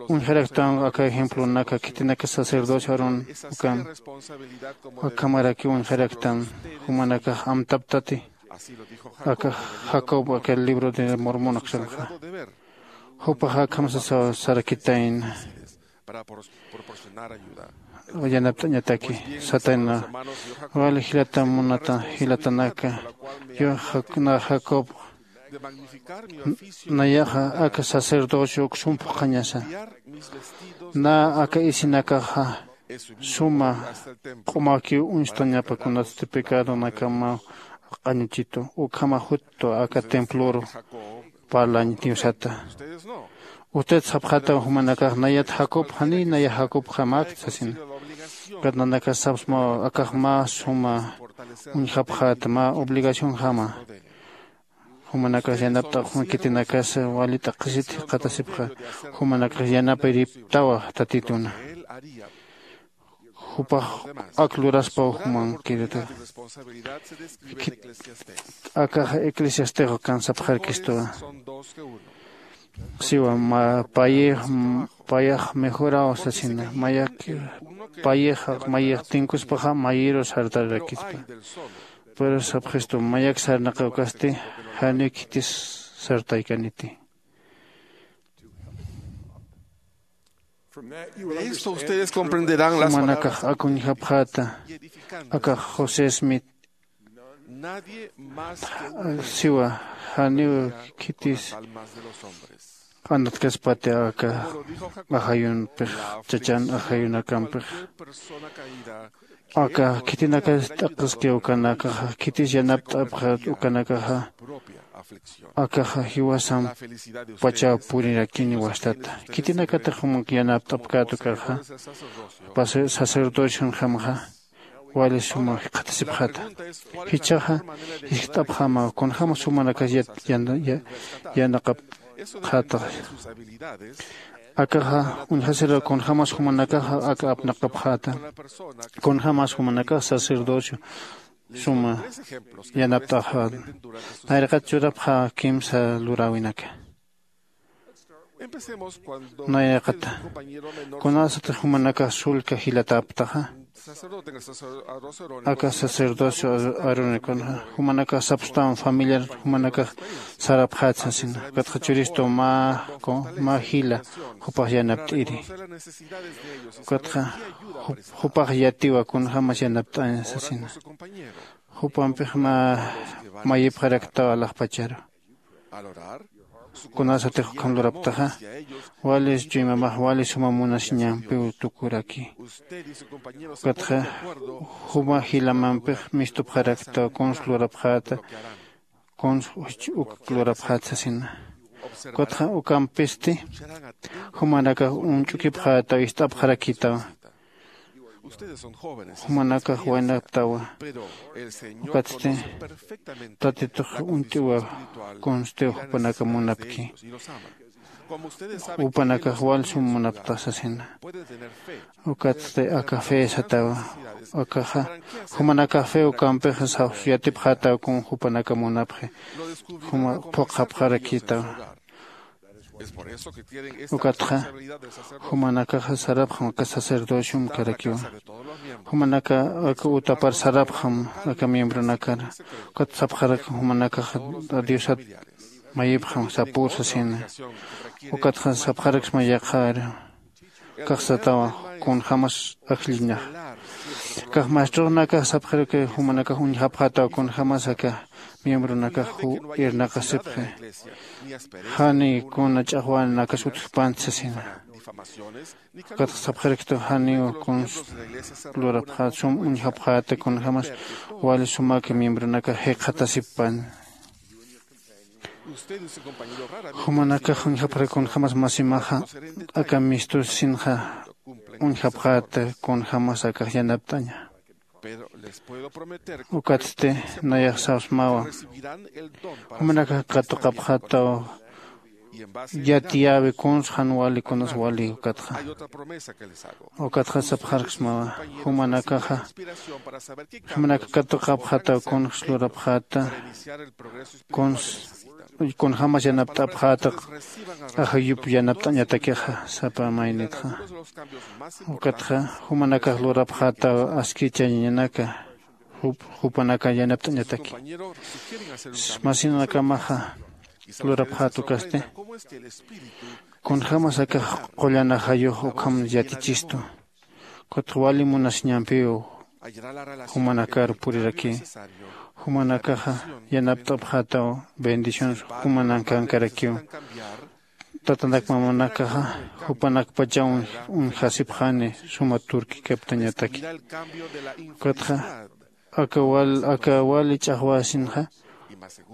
Uñjaraktan aka ejemplonaka khitinaka sacerdocio aarón ukan akhamarakiw uñjaraktan jumanakax amtaptati. Aka jacob aka libro de mormon aksanxa jupax akham sasaw sarakitayna. Yanapt'añataki satayna wali jilata munata jilatanaka. Yuxakna jacob nayaxa aka sacerdocio uksum phuqhañasa. Na aka isinakaxa suma q'umakiw uñstañapa kunatsti pecadonakamaw q'añuchitu ukhama juttu aka temploru parlañ diosata. Usted sapxataw jumanakax nayat jacob janiy naya jacobjamäkt sasina. Ukat nanakas sapsmaw akax mä suma uñjapxäta mä obligacionjama. Jumanakax yanapt'apxam khitinakas wali t'aqhisit jikxatasipxa. Jumanakax yanapiriptawa tatituna jupax ak luraspaw jumankirata. Akaxa eclesiastexo kansapxarkistuwa. Siwa payix payax mejoraw sasina mayak payix mayix tinkuspaxa mayiru sartararakispa. Pero sapxistu mayak sarnaqawkasti janiw khitis sartaykaniti. Esto ustedes comprenderán las jumanakax akuñjapxäta. Akax josé smith siwa janiw khitis q'anatkaspati aka ajayunpix chachan ajayunakampix. Aka khitinakas t'aqhiski ukanakaxa khitis yanapt'apxat ukanakaxa akaxa jiwasampachaw purirakini wastata. Khitinakatix jumank yanapt'apkät ukaxa sacerdocion jamaxa Wali suma jikxatasipxata. Jichhaxa jiskt'apxämaw kunjämas jumanakas yat- yan- ya- yanaqapxätaxa. Akaxa uñjasiraw kunjämas jumanakaxa aka apnaqapxäta. Kunjämas jumanakax sacerdocio suma yanapt'axäta. Nayraqat churapxä kimsa luräwinaka. Nayraqata kunasatix jumanakax sullka jilatäptaxa, aka sacerdocio aaronikunxa jumanakax sapstawan familiar jumanakax sarapxät sasina. Ukatxa churistu mä mä jila jupax yanapt'iri. Ukatxa jupax yatiwa kunjämas yanapt'aña sasina. Jupampix mä mayipxaraktaw alaxpacharu. Kunasatix ukham luraptaxa, wali chuymamax wali suma munasiñampiw tukuraki. Ukatxa juma jilamampix mistupxaraktaw kuns lurapxäta, kuns uk lurapxäta sasina. Ukatxa ukampisti jumanakax uñch'ukipxätaw ist'apxarakïtaw. Jumanakax waynaptawa. Ukatsti tatitux uñt'iwa. Kunstiw jupanaka munapki. Jupanakax wal sum munaptax sasina. Ukatsti aka fe satawa. Akaxa jumanakax fe ukampixa saws yatipxätaw kun jupanaka munapxi. Juma phuqhapxarakïtawa. Ukatxa jumanakaxa sarapxam aka sacerdociom karakiwa. Jumanaka aka utapar sarapxam aka miembronakar. Ukat sapxarak jumanakaxa diosat mayipxam sapür sasina. Ukatxa sapxaraksma yaqhar kaxsatawa kunjämas ajlliñax. Kax maestroxnakax sapxarak jumanakax uñjapxätaw kunjämas aka miembronakax irnaqasipxi. Jani kuna ch'axwanakas utjpanti sasina. Ukatxa sapxaraktu janiw kuns lurapxät sum uñjapxäta kunjämas wali sumak miembronakax jikxatasippan. Jumanakax uñjapxarak kunjämas masimaxa aka mistusinxa uñjapxäta kunjämas akax yanapt'aña. Ukatsti nayax sawsmawa. Jumanakax katuqapxätaw yatiyäwi kuns jan wali kunas wali ukatxa. Ukatxa sapxarksmawa jumanakaxa jumanaka katuqapxätaw kunjs lurapxäta. Kuns kunjämas yanapt'apxäta ajayup yanapt'añatakixa sapa maynitxa. Ukatxa jumanakax lurapxätaw askichañanaka jupanaka yanapt'añataki. Masinakamaxa lurapxät ukasti kunjämas akax qullan ajayux ukham yatichistu. Ukatxa wali munasiñampiw jumanakar puriraki. Jumanakaxa yanapt'apxätaw bendiciones jumanakankarakiw. Tatanak mamanakaxa jupanakpachaw uñjasipxani suma turkikaptañataki. Ukatxa aka wal aka wali ch'axwasinxa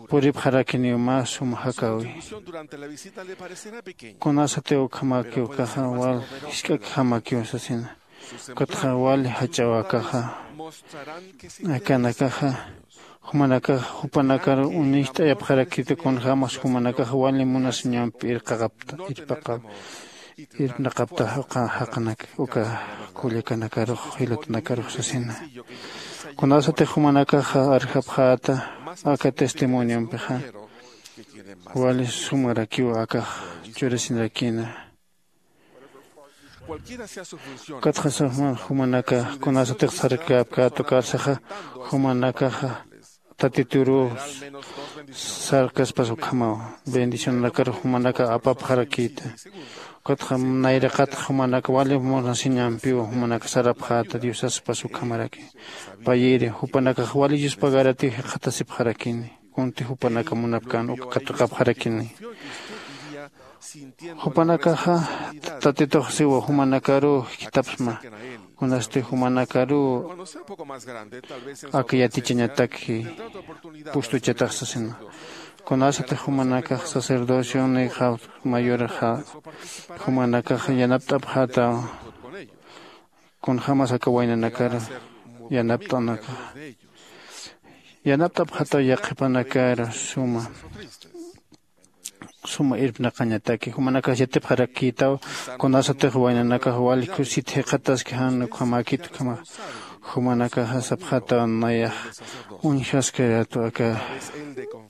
puripxarakiniw mä sum jakäwi. Kunasatiw ukhamakiw kaxa wal jisk'akjamakiw sasina. Ukatxa wali jach'aw akaxa akanakaxa jumanakax jupanakar uñicht'ayapxarakita kunjämas jumanakax wali munasiñampi irqaqapta irpaqap irpnaqaptax uka jaqanak uka kullakanakarux jilatanakarux sasina. Kunasatix jumanakaxa arjapxäta aka testimoniompixa wali sumarakiw akax churasinarakina. Ukatxa suma jumanaka kunasatix sarkapkätu karsaxa jumanakaxa tatituru sarkaspas ukhamawa bendicionanakar jumanaka apapxarakïta. Ukatxa nayraqatxa jumanaka wali munasiñampiw jumanaka sarapxäta diosaspas ukhamaraki. Payiri jupanakax wali yuspagaratiw jikxatasipxarakini. Kunti jupanaka munapkän uka katuqapxarakini. Jupanakaxa tatitux siwa jumanakaruw jikitapsma. Kunasti jumanakaruw aka yatichañatak pustuchatax sasina. Kunasatix jumanakax sacerdocionix mayorxa jumanakax yanapt'apxätaw kunjämas aka waynanakar yanapt'anakaxa. Yanapt'apxataw yaqhipanakar suma suma irpnaqañataki. Jumanakax yatipxarakïtaw kunasatix waynanakax wali kusit jikxataski jan ukhamäkit ukhamax. Jumanakaxa sapxataw nayax uñjaskayätu aka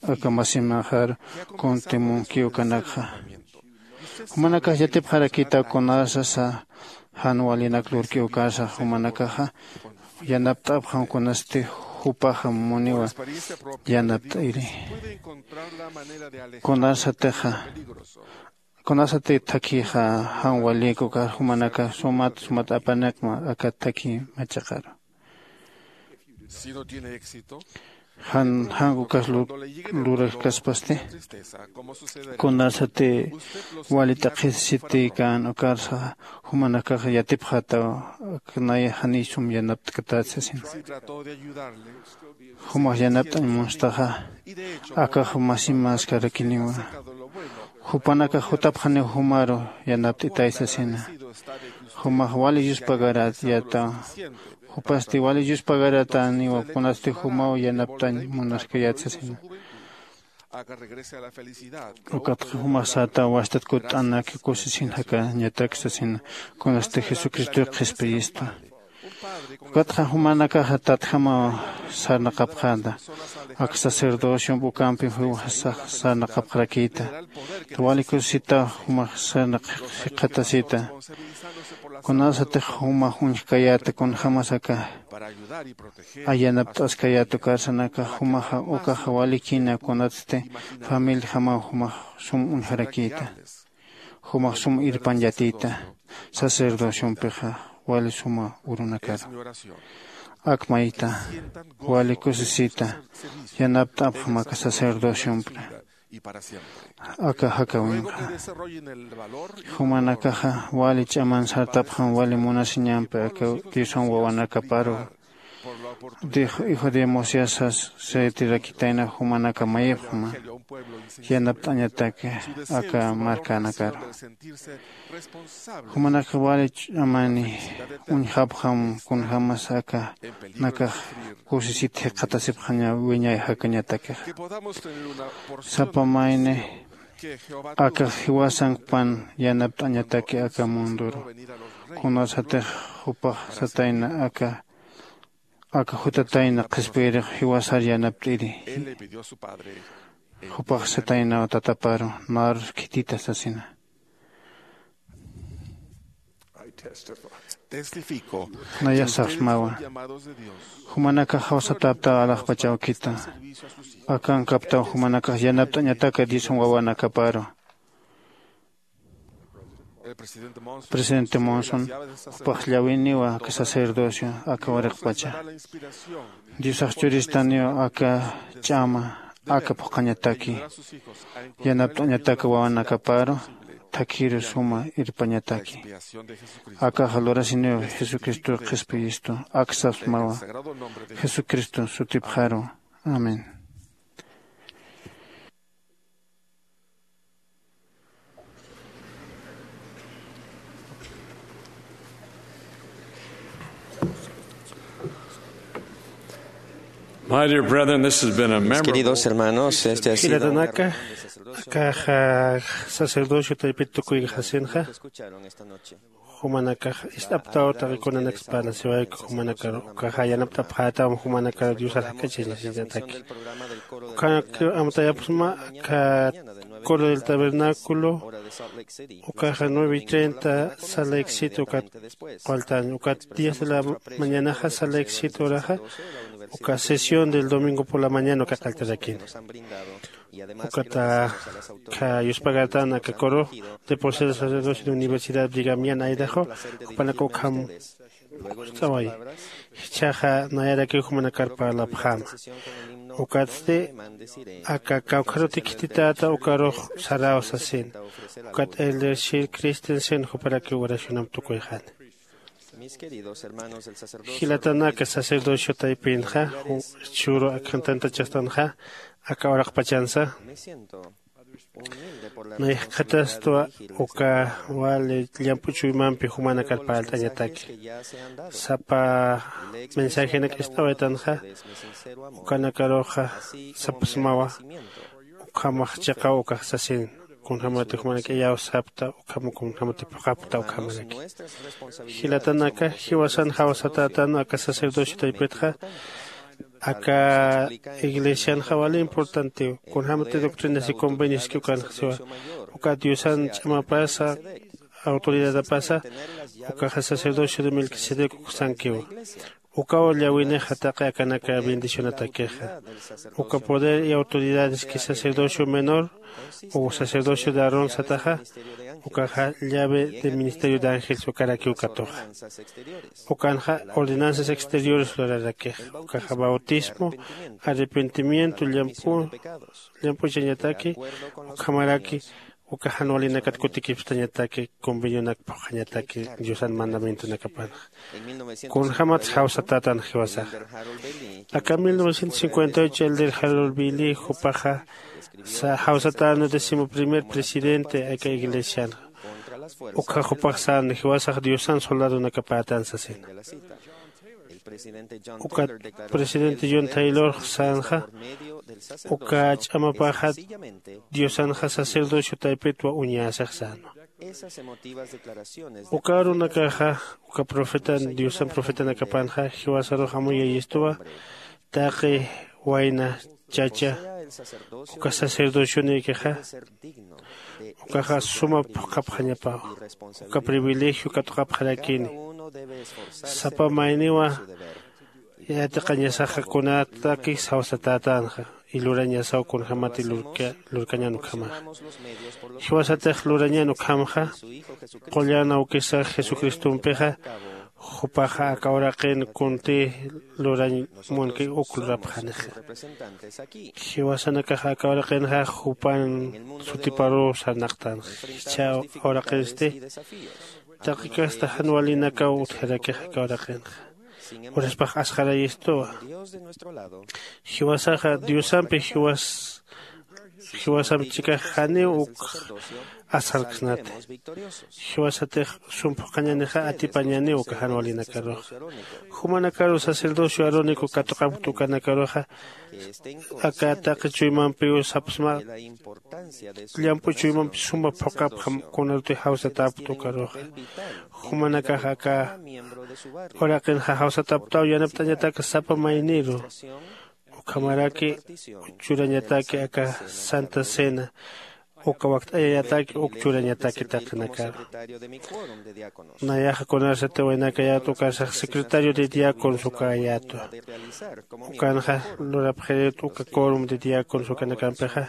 aka masimaxar kuntï munkiw ukanakxa. Jumanakax yatipxarakïtaw kunasasa jan walinak lurkiw ukasa. Jumanakaxa yanapt'apxam kunasti jupaxa muniwa yanapt'iri. Kunasatixa kunasati thakhixa jan walïk ukar jumanakax sumat sumat apanakma aka thakhi machaqaru. Jan jan ukas lurakaspasti kunasati wali t'aqhisisitïkän ukarsa jumanakax yatipxataw. Aknaya janiy sum yanapt'katät sasina. Jumax yanapt'añ munstaxa akax masimaskarakiniwa. Jupanakax jutapxaniw jumaru yanapt'itay sasina. Jumax wali yuspagarat yata jupasti wali yuspagarataniwa kunasti jumaw yanapt'añ munaskayät sasina. Ukatxa jumax sätaw wastat kutt'anak kusisin jakañatak sasina kunasti jesucristoy qhispiyista. Ukatxa jumanakaxa tatjamaw sarnaqapxäta. Ak sacerdociomp ukampim jiwasax sarnaqapxarakïta. Wali kusisitaw jumax sarnaq jikxatasita. Kunasatix jumax uñjkayäta kunjämas aka ayanapt'askayät ukarsanakax jumaxa ukaxa walikïna kunatsti familiajamaw jumax sum uñjarakïta. Jumax sum irpañ yatïta sacerdociompixa wali suma urunakaru. Ak mayta wali kusisita yanapt'apxam aka sacerdociompra aka jakawinxa. Jumanakaxa wali ch'aman sartapxam wali munasiñampi aka diosan wawanakaparu. Hijo de mosiasas setirakitayna jumanaka mayipxma yanapt'añataki aka markanakaru. Jumanaka wali ch'amani uñjapxam kunjämas aka nakax kusisit jikxatasipxaña wiñay jakañatakixa. Sapa mayni akax jiwasankpan yanapt'añataki aka munduru. Kunasatix jupax satayna aka aka jutatayna qhispiyirix jiwasar yanapt'iri. Jupax sataynaw tataparu narus khitita sasina. Nayax sapxsmawa jumanakax jawsatäptaw alaxpach awkita. Akankaptaw jumanakax yanapt'añataka diosan wawanakaparu. Presidente monson jupax llawiniwa aka sacerdocio aka uraqpacha. Diosax churistaniw aka ch'ama aka phuqhañataki yanapt'añataka wawanakaparu thakhiru suma irpañataki. Akaxa lurasiniw jesucristo qhispiyistu aksapxsmawa jesucristo sutipxaru. Amén. My dear brethren, this has been a Mis memorable queridos hermanos, este ha sido una Jilatanaka, reunión de sacerdocio. Akaxa sacerdocio taypit tukuy jasinxa. Escucharon esta noche. Jumanakax ist'aptaw taqi kunanaksa parlasiwayku jumanakar ukaxa yanapt'apxätam jumanakar diosar jak'achañasiñataki. Ukanak amtayapxsma aka coro del tabernáculo ukaxa nueve y treinta sala exit ukat faltan ukat diez de la mañanaxa sala exit uraxa uka sesión del domingo por la mañana uka qalltarakina. Ukata kha yuspagartan aka coro de por ser sacerdocio de universidad brigamian aydaxu jupanak ukham ust'away. Jichhaxa nayarakiw jumanakar parlapxäma. Ukatsti aka kawkharuti khititäta ukarux saraw sasin. Ukat elder shir christensen juparakiw oracionamp tukuyxani. Jilatanaka sacerdocio taypinxa churu akhan tantachastanxa aka uraqpachansa. Nayjkhatastwa uka wali llamp'u chuymampi jumanakar parlt'añataki. Sapa mensajenak ist'awaytanxa ukanakaruxa sapxsmawa ukhamax chiqaw ukax sasin, kunjämati jumanak iyaw sapta ukham kunjämati phuqhapta ukhamaraki. Jilatanaka, jiwasan jawsatätan aka sacerdocio taypitxa aka iglesianxa wali importantiw, kunjämati doctrinas y convenios ukanxa siwa. Uka diosan ch'amapasa, autoridadapasa ukaxa sacerdocio de melquisedec uksankiwa. Ukaw llawinix taqi akanaka bendicionatakixa. Uka poder y autoridades que sacerdocio menor o sacerdocio de Aarón sataxa, ukaxa llave de ministerio de ángel sukarakiw katuxa. Ukanxa ordenanzas exteriores lurarakixa, ukaxa bautismo, arrepentimiento, llamp'u llamp'uchañataki, ukhamaraki uka jan walinakat kutikipstañataki, convenionak phuqhañataki diosan mandamientonakapanxa. Kunjämatsa jawsatätan jiwasaxa. Aka mil novecientos cincuenta y ocho elder Harold Billy jupaxa jawsatänu décimo primer presidente aka iglesianxa. Ukxa jupax sän jiwasax diosan soldadonakapätan sasina. Ukat presidente John Taylor sänxa uka ch'amapaxa diosanxa sacerdocio taypitwa uñäsix sänwa. Uka arunakaxa uka profetan diosan profetanakapanxa jiwasarux amuyayistuwa. Taqi wayna chacha uka sacerdocionikixa ukaxa suma phuqhapxañapawa. Uka privilegio katuqapxarakini. Sapa mayniwa yatiqañasaxa kunataki jawsatätanxa y lurañasaw kunjämati lurkañan ukhamaxa. Jiwasatix lurañan ukhamxa qullan awkisax jesucristompixa jupaxa aka uraqin kunti lurañ munki uk lurapxanixa. Jiwasanakaxa aka uraqinxa jupan sutiparuw sarnaqtanxa. Jichha uraqinsti taqi kasta jan walinakaw utjarakix aka uraqinxa. Uraspax asxarayistuwa. Jiwasaxa diosampi jiwas jiwasamp chikax janiw uk asxarksnati. Jiwasatix sum phuqhañanixa atipañaniw uka jan walinakaruxa. Jumanakaru sacerdocio arónico katuqapkta ukanakaruxa aka taqi chuymampiw sapxsma llamp'u chuymampi suma phuqhapxam kunarutix jawsatäpkta ukaruxa. Jumanakax aka uraqinxa jawsatäpktaw yanapt'añatak sapa mayniru ukhamaraki churañataki aka santa cena uka wakt'ayayataki uk churañataki taqinakaru. Nayaxa kunarsati waynakayät ukarsax secretario de diáconos ukayätwa. Ukanxa lurapxirït uka corum de diáconos ukanakampixa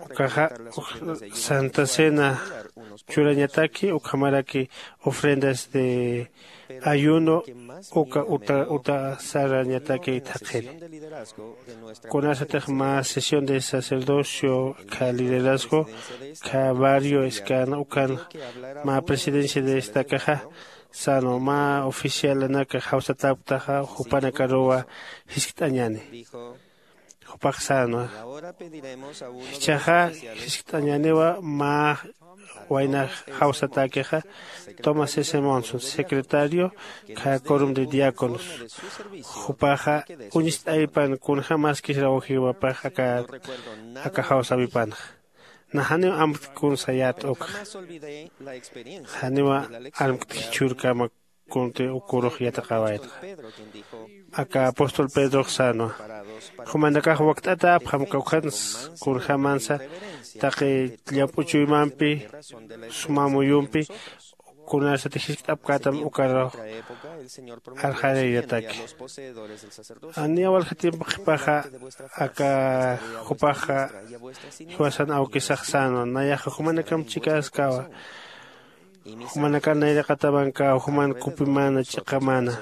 ukaxa santa cena churañataki ukhamaraki ofrendas de ayuno uka uta uta sarañataki thaqhiri. Kunasatix mä sesión de sacerdocio kha liderazgo kha barrio escana ukan mä presidencia de estakaxa sänwa mä oficialanaka jawsatäpktaxa jupanakaruwa jiskt'añäni. Jupax sänwa jichhaxa jiskt'añäniwa mä wayna jawsatäkixa tomás s monson secretario kha corum de diáconos. Jupaxa uñst'aypan kunjämaskis rawjiwapax aka aka jawsawipanxa. Nax janiw amtk kun sayät ukxa janiw armkt jichhürkama kunti ukurux yatiqawaytxa. Aka apóstol pedrox sänwa jumanakax wakt'atäpxam kawkhans kunjämansa taqi llamp'u chuymampi suma muyumpi kunarsati jiskt'apkätam ukarux arxarayataki. Janiw walja tiempo qhipaxa aka jupaxa jiwasan awkisax sänwa nayaxa jumanakamp chikäskawa. Jumanakar nayraqatamankaw juman kupimana ch'iqamana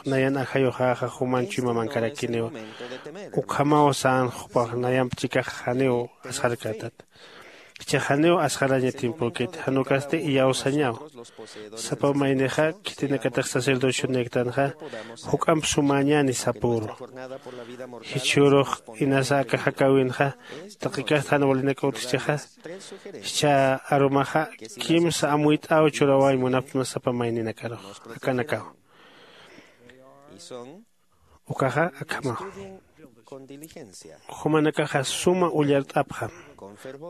nayan ajayuxäxa juman chuymamankarakkiniwa. Ukhamaw sän jupax nayamp chikax janiw asxarkätat. Jichhax janiw asxaraña timpukiti, jan ukasti iyawsañaw. Sapa maynixa khitinakatix sacerdocionïktanxa juk'amp sumäñäni sapüru. Jichhürux inasa aka jakäwinxa taqikast jan walinakaw utjchixa, jichha arumaxa kimsa amuyt'äw churäwañ munapxsma sapa mayninakarux. Akanakaw ukaxa akhamaw. Jumanakaxa suma ullart'apxam,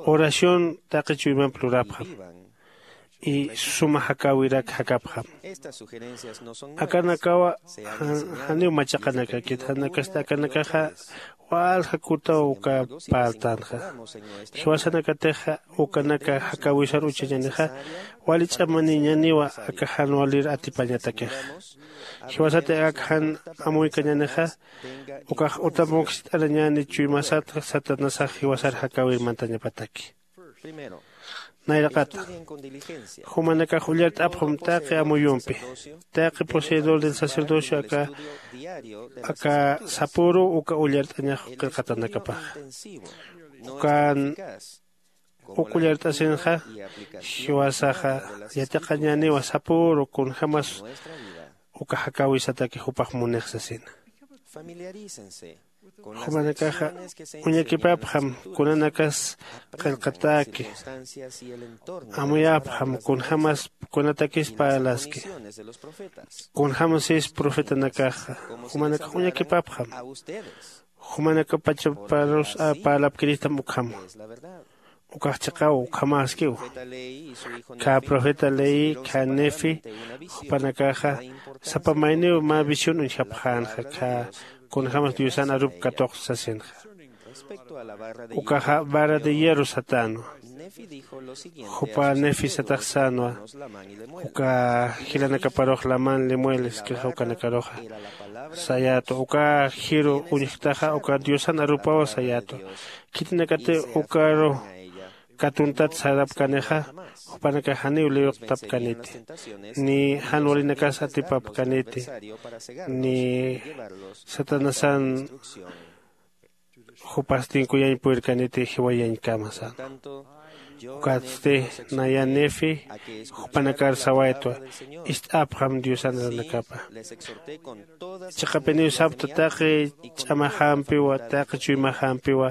oración taqi chuymamp lurapxam, y suma jakäwirak jakapxam. Akanakawa janiw machaqanakakit, jan ukasti akanakaxa walja kutaw uka parltänxa. Jiwasanakatixa ukanaka jakäwisar uchañänixa wali ch'amaniñäniwa aka jan walir atipañatakixa. Jiwasati aka jan amuykañänixa ukax utampunksit'arañäni chuymasat satanasax jiwasar jakäwir mantañapataki. Nayraqata jumanakax ullart'apxam taqi amuyumpi, taqi poseedor del sacerdocio aka aka sapüru uka ullart'añax qillqatanakapaxa. Ukan uk ullart'asinxa jiwasaxa yatiqañäniwa sapüru kunjämas uka jakäwisataki jupax munix sasina. Jumanakaxa uñakipapxam kunanakas qillqatäki, amuyapxam kunjämas kunatakis parlaski, kunjämasis profetanakaxa. Jumanakax uñakipapxam jumanakapachaparus parlapkiristam ukhama. Ukax chiqaw ukhamäskiw. Khä profeta leí khä nefi jupanakaxa sapa mayniw mä visión uñjapxänxa khä kunjämas diosan arup katuqsa sasinxa. Ukaxa vara de hierro satänwa. Jupa nefi satax sänwa uka jilanakaparux lamán lemuel iskirxa ukanakaruxa sayätwa uka jiru uñjktaxa uka diosan arupaw sayätwa. Khitinakati ukaru katuntat sarapkanixa jupanakax janiw liwiqtapkaniti, ni jan walinakas atipapkaniti, ni satanasan jupas tinkuyañ purirkaniti jiwayañkama sänwa. Ukatsti naya nefi jupanakar sawaytwa, ist'apxam diosan arunakapa. Chiqapiniw sapxta taqi ch'amaxampiwa taqi chuymaxampiwa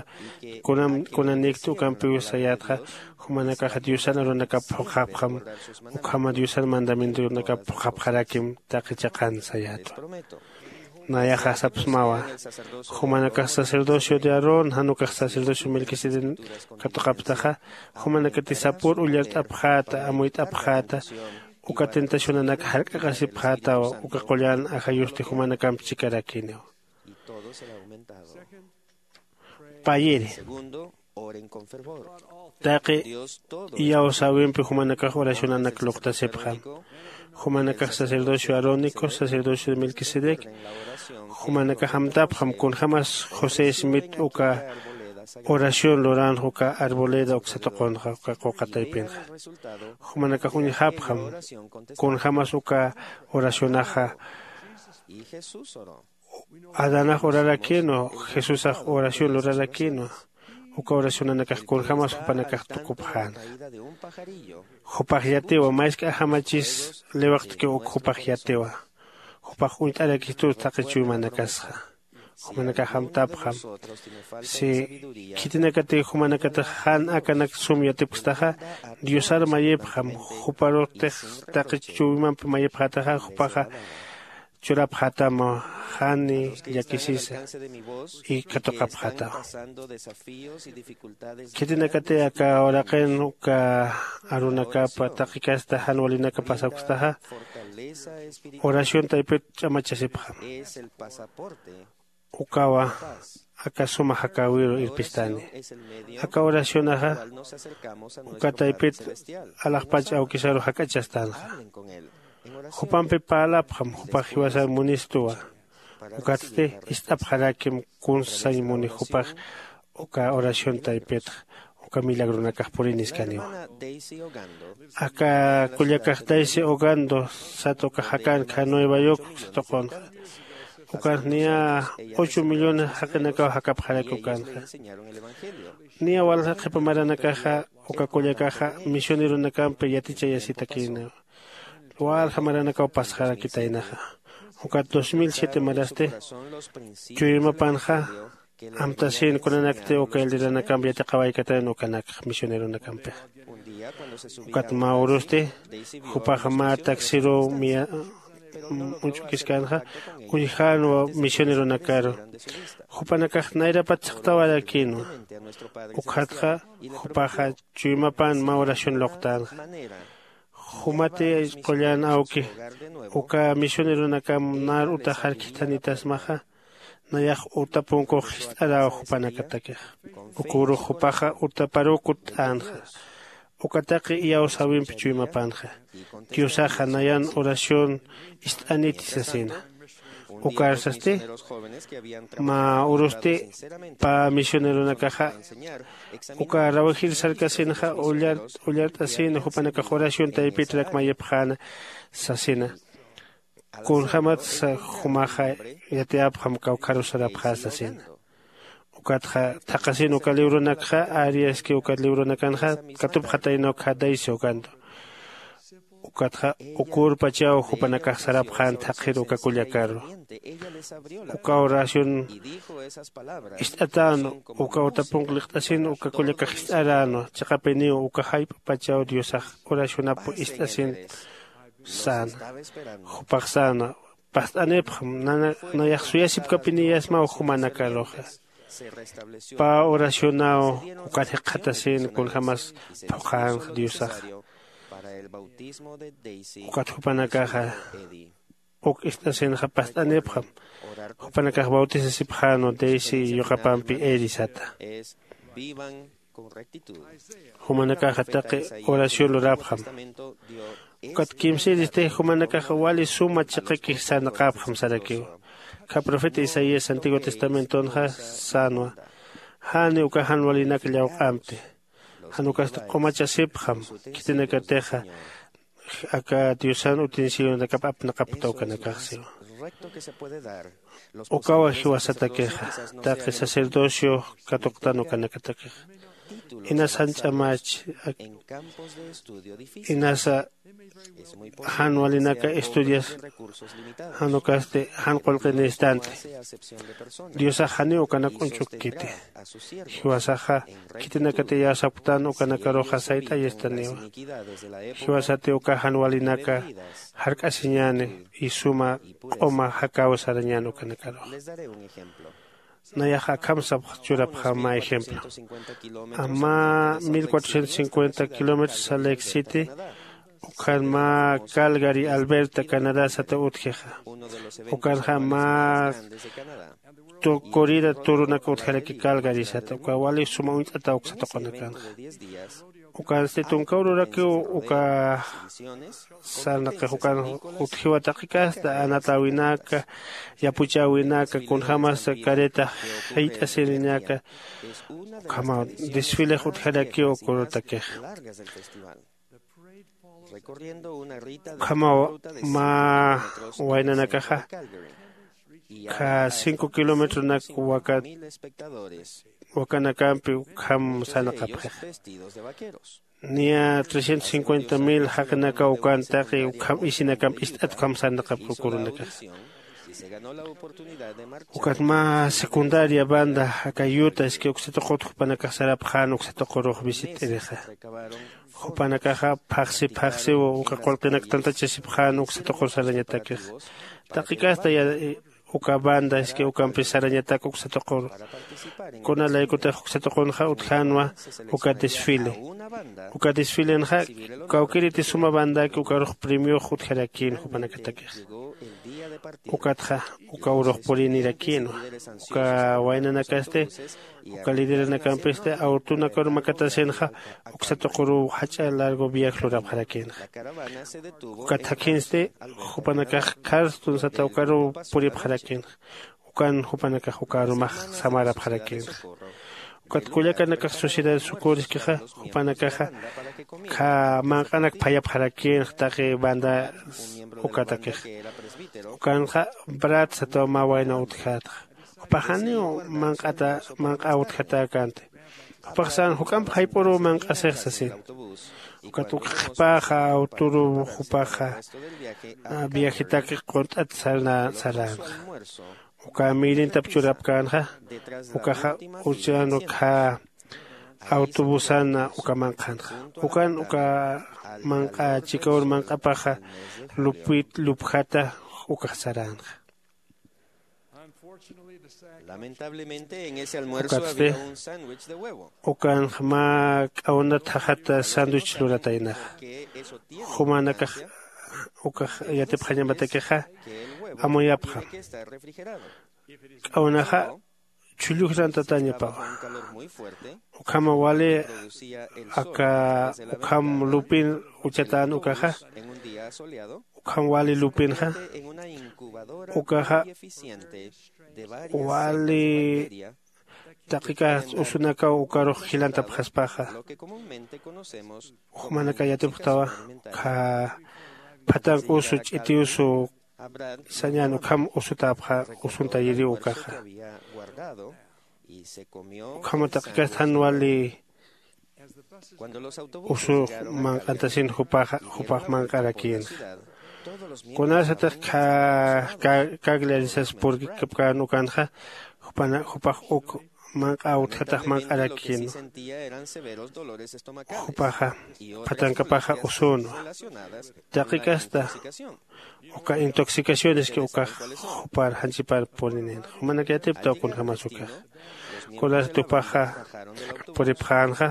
kunam kunanikti ukampiw sayätxa, jumanakaxa diosan arunakap phuqhapxam ukhama diosan mandamientonakap phuqhapxarakim taqi chiqan sayätwa. Nayaxa sapxsmawa, jumanakax sacerdocio de aarón jan ukax sacerdocio melquisedec katuqapxtaxa, jumanakati sapür ullart'apxäta amuyt'apxäta. Uka tentacionanak jark'aqasipxätawa uka qullan ajayusti jumanakamp chikarakiniw. Payiri taqi iyawsäwimpi jumanakax oracionanak luqtasipxam. Jumanakax sacerdocio arónico sacerdocio de melquisedec jumanakax amtapxam kunjämas josé smit uka oración luranxa uka arboleda uksa tuqunxa uka quqa taypinxa. Jumanakax uñjapxam kunjämas uka oracionaxa adanax urarakinwa, jesusax oración lurarakinwa. Uka oracionanakax kunjämas jupanakax tukupxänxa. Jupax yatiwa maysk'ajamachis liwiqtkiw uk jupax yatiwa. Jupax uñt'arakistus taqi chuymanakasxa. Jumanakax amtapxam si khitinakatiw jumanakatix jan akanak sum yatipkstaxa, diosar mayipxam. Juparutix taqi chuymampi mayipxätaxa jupaxa churapxätamaw jani llakisisa y katuqapxätawa. Khitinakati aka uraqin uka arunakapa taqi kasta jan walinaka pasapkstaxa, oración taypit ch'amachasipxam. Ukawa aka suma jakäwiru irpistani. Aka oracionaxa uka taypit alaxpach awkisaru jak'achastänxa. Jupampi parlapxam jupax jiwasar munistuwa. Ukatsti ist'apxarakim kunsa sañ muni jupax uka oración taypitxa uka milagronakax puriniskaniwa. Aka kullakax daisy hogando sat uka jakanka nueva york sat uqunxa Ukanx niya ocho millones jaqinakaw jakapxaraki ukanxa. Niya walja qhipa maranakaxa uka kullakaxa misioneronakampi yatichayasitakïna. Walja maranakaw pasxarakitaynaxa. Ukat dos mil siete marasti chuymapanxa amtasin kunanakti uka elderanakamp yatiqawaykatayan ukanakx misioneronakampixa. Ukat mä urusti jupaxa mä taxiruw miya uñch'ukiskänxa. Uñjänwa misioneronakaru. Jupanakax nayrapat saqtawarakïnwa. Ukxatxa jupaxa chuymapan mä oración luqtänxa. Jumati qullan awki uka misioneronakam nar utaxar khithanitasmaxa. Nayax uta punkux jist'aräw jupanakatakixa. Uka urux jupaxa utaparuw kutt'änxa. Uka taqi iyawsäwimpi chuymapanxa. Diosaxa nayan oración ist'aniti sasina. Ukar sasti mä urusti pä misioneronakaxa uka rawajir sarkasinxa ullart'asina jupanakax oración taypitrak mayipxäna sasina. Kunjämatsa jumaxa yatiyapxam kawkharusarapxä sasina. Ukatxa thaqhasin uka libronakxa ari aski uka libronakanxa katupxataynaw khadaysi ukantu. Ukatxa ukurpachaw jupanakax sarapxän thaqhir uka kullakaru. Uka oración ist'atänwa uka utapunq liqt'asin uka kullakax ist'aränwa chiqapiniw uka jayp'pachaw diosax oracionap ist'asin. Säna jupax säna past'anipxam. Nayax suyasipkapiniyasmaw jumanakaruxa. Pä oracionaw ukan jikxatasin kunjämas phuqhänxa diosaxa. Ukat jupanakaxa uk ist'asinxa past'anipxam. Jupanakax bautisasipxänwa daisy yuqapampi eri sata. Jumanakaxa taqi oración lurapxam. Ukat kimsïristi jumanakaxa wali suma chiqakix sarnaqapxam sarakiw. Kha profeta isaías antiguo testamentonxa sänwa. Jani uka jan walinak llawq'amti. Jan ukasti q'umachasipxam. Khitinakatixa aka diosan utensiliunakap apnaqapkta ukanakax siwa. Ukawa jiwasatakixa taqi sacerdocio katuqtan ukanakatakixa. Inas jan ch'amach inasa jan walinaka estudias jan ukasti jan qullqi necestanti. Diosax janiw ukanak uñch'ukkiti. Jiwasaxa khitinakati iyawsapktan ukanakaruxa sayt'ayastaniwa. Jiwasati uka jan walinaka jark'asiñäni y suma q'uma jakäw sarañän ukanakaruxa. Nayaxa akham sapx churapxam mä ejemplo. Mä mil cuatrocientos cincuenta kilómetros saleksiti ukhan mä calgary alberta canadá sata utjixa. Ukanxa mä corrida turunak utjaraki calgary sata uka wali suma uñt'ata uksa tuqunakanxa. Ukansti tunka ururakiw uka sarnaqix ukan utjiwa taqi kasta anatäwinaka yapuchäwinaka kunjämasa carreta jayt'asirinaka. Ukhamaw desfilex utjarakiw uka urutakixa. Ukhamaw mä waynanakaxa kha cinco kilometronak wakanakampi ukham sarnaqapxixa. Niya trescientos cincuenta mil jaqinakaw ukan taqi ukham isinakamp ist'at ukham sarnaqapxi uka urunakaxa. Ukat mä secundaria banda aka yuta iski uksa tuqut jupanakax sarapxän uksa tuqurux visit'irixa. Jupanakaxa phaxsi phaxsiw uka qullqinak tantachasipxän uksa tuqur sarañatakixa. Taqi kasta uka banda iski ukampis sarañatak uksa tuquru. Kuna laykutix uksa tuqunxa utjänwa uka desfile. Uka desfilenxa kawkïriti suma bandaki ukarux premiox utjarakïn jupanakatakixa. Ukatxa uka urux purinirakïnwa. Uka waynanakasti uka lideranakampista awtunakar makatasinxa uksa tuquruw jach'a largo viaje lurapxarakïnxa. Ukat jakhinsti jupanakax carstun sata ukaruw puripxarakïnxa. Ukan jupanakax uka arumax samarapxarakïnxa. Ukat kullakanakax sociedad sucuriskixa jupanakaxa kha manq'anak phayapxarakïnxa taqi banda ukatakixa. Ukanxa brat sataw mä wayna utjätxa. Jupax janiw manq'ata manq'a utjatäkänti. Jupax sän juk'amp jayp'uruw manq'asix sasin. Ukat uk qhipäxa awturuw jupaxa viajitak qunt'at saränxa. Uka mïrintap churapkänxa. Ukaxa uchan ukkha awtubusan uka manq'anxa. Ukan uka manq'a chikawur manq'apaxa lupit lupjata ukax saränxa. Lamentablemente en ese almuerzo había un sándwich de huevo. Ukanxa mä k'awnat jaxat sándwich lurataynaxa. Jumanakax ukax yatipxañamatakixa amuyapxam. K'awnaxa chhullujran tatañapawa. Ukhama wali aka ukham lupin uchatän ukaxa. Ukham wali lupinxa ukaxa wali taqikax usunakaw ukarux jilantapxaspaxa. Jumanaka yatipxtawa ukkha phatank usu ch'iti usu sañan ukham usutäpxa. Usuntayiriw ukaxa ukhama taqikast jan wali usux manq'antasin jupaxa jupax manq'arakïnxa. Kunasatix kagli arisas purkikapkän ukanxa jupax uk manq'a utjatax manq'arakïnwa. Jupaxa phatankapaxa usünwa. Taqikasta uka intoxicacioneski ukax jupar janchipar purininxa jumanak yatiptaw kunjämas ukax. Kunasat jupaxa puripxänxa.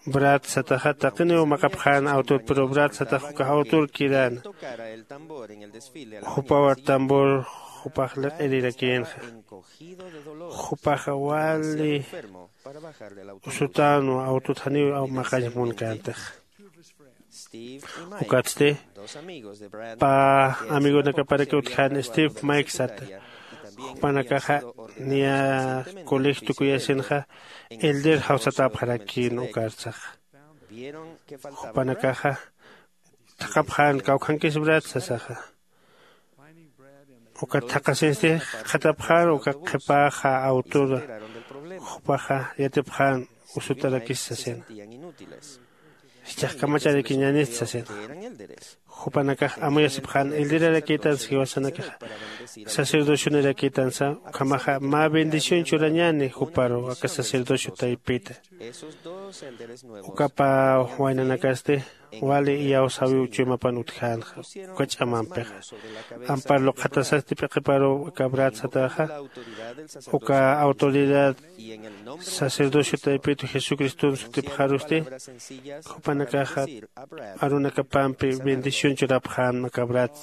Brat sataxa taqiniw maqapxän awtut pero brat satax ukax awtur kiräna. Jupaw tambor jupax liq'irirakïnxa. Jupaxa wali usutänwa awtut janiw maqañ munkäntixa. Ukatsti pä amigonakaparaki utjän steve mike sata. Jupanakaxa niya coleg tukuyasinxa elder jawsatäpxarakïn ukarsaxa. Jupanakaxa thaqhapxän kawkhankis brat sasaxa. Ukat thaqhasinsti qhatapxän uka qhipäxa awtura jupaxa yatipxän usutarakis sasina. Jichhax kamacharakiñänist sasina. Jupanakax amuyasipxän elderarakïtansa jiwasanakaxa sacerdocionarakïtansa. Ukhamaxa mä bendición churañäni juparu aka sacerdocio taypita. Uka pä waynanakasti wali iyawsäwiw chuymapan utjänxa. Uka ch'amampixa ampar luqhatasasti p'iqiparuw aka brat sataxa uka autoridad sacerdocio taypitu jesucriston sutipxarusti jupanakaxa arunakapampi bendición churapxän aka brat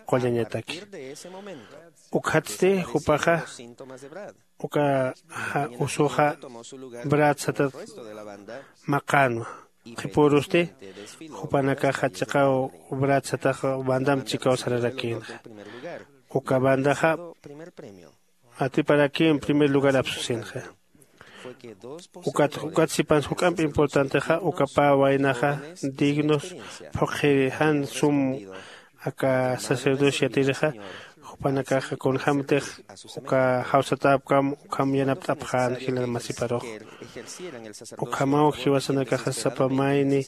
qullañataki. Ukhatsti jupaxa uka usuxa brat satat maqänwa. Qhipürusti jupanakaxa chiqaw brat satax bandamp chikaw sararakïnxa. Uka bandaxa atiparakïn primer lugar apsusinxa. Ukat ukat sipans juk'amp importantexa uka pä waynaxa dignos phuqhiri jan sum aka sacerdocio yatirixa. Jupanakaxa kunjämtix uka jawsatäpkam ukham yanapt'apxän jilanamasiparux. Ukhamaw jiwasanakaxa sapa mayni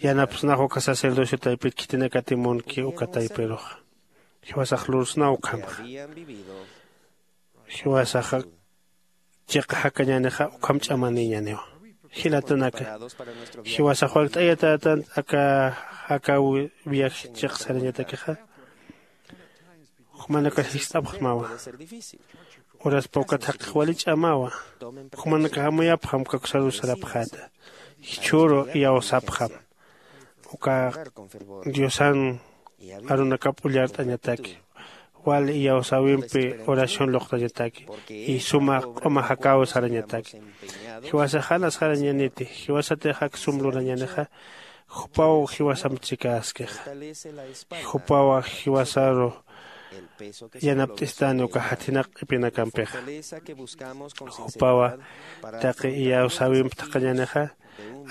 yanapsnax uka sacerdocio taypit khitinakati munki uka taypiruxa. Jiwasax lursnaw ukhamxa. Jiwasaxa chiqa jakañänixa ukham ch'amanïñäniwa. Jilatanaka jiwasax wakt'ayatätan aka jakaw viaje chiq sarañatakixa. Jumanakax jist'apxsmawa. Uraspa ukat jaqix wali ch'amawa. Jumanakax amuyapxam kaksarus sarapxäta. Jichhüru iyawsapxam uka diosan arunakap ullart'añataki wal iyawsäwimpi oración luqtañataki y suma q'uma jakaw sarañataki. Jiwasax janas jarañaniti jiwasatix ak sum lurañanixa. Jupaw jiwasamp chikäskixa. Jupawa jiwasaru yanapt'istani uka jathinak q'ipinakampixa. Jupawa taqi iyawsäwimp thaqhañanixa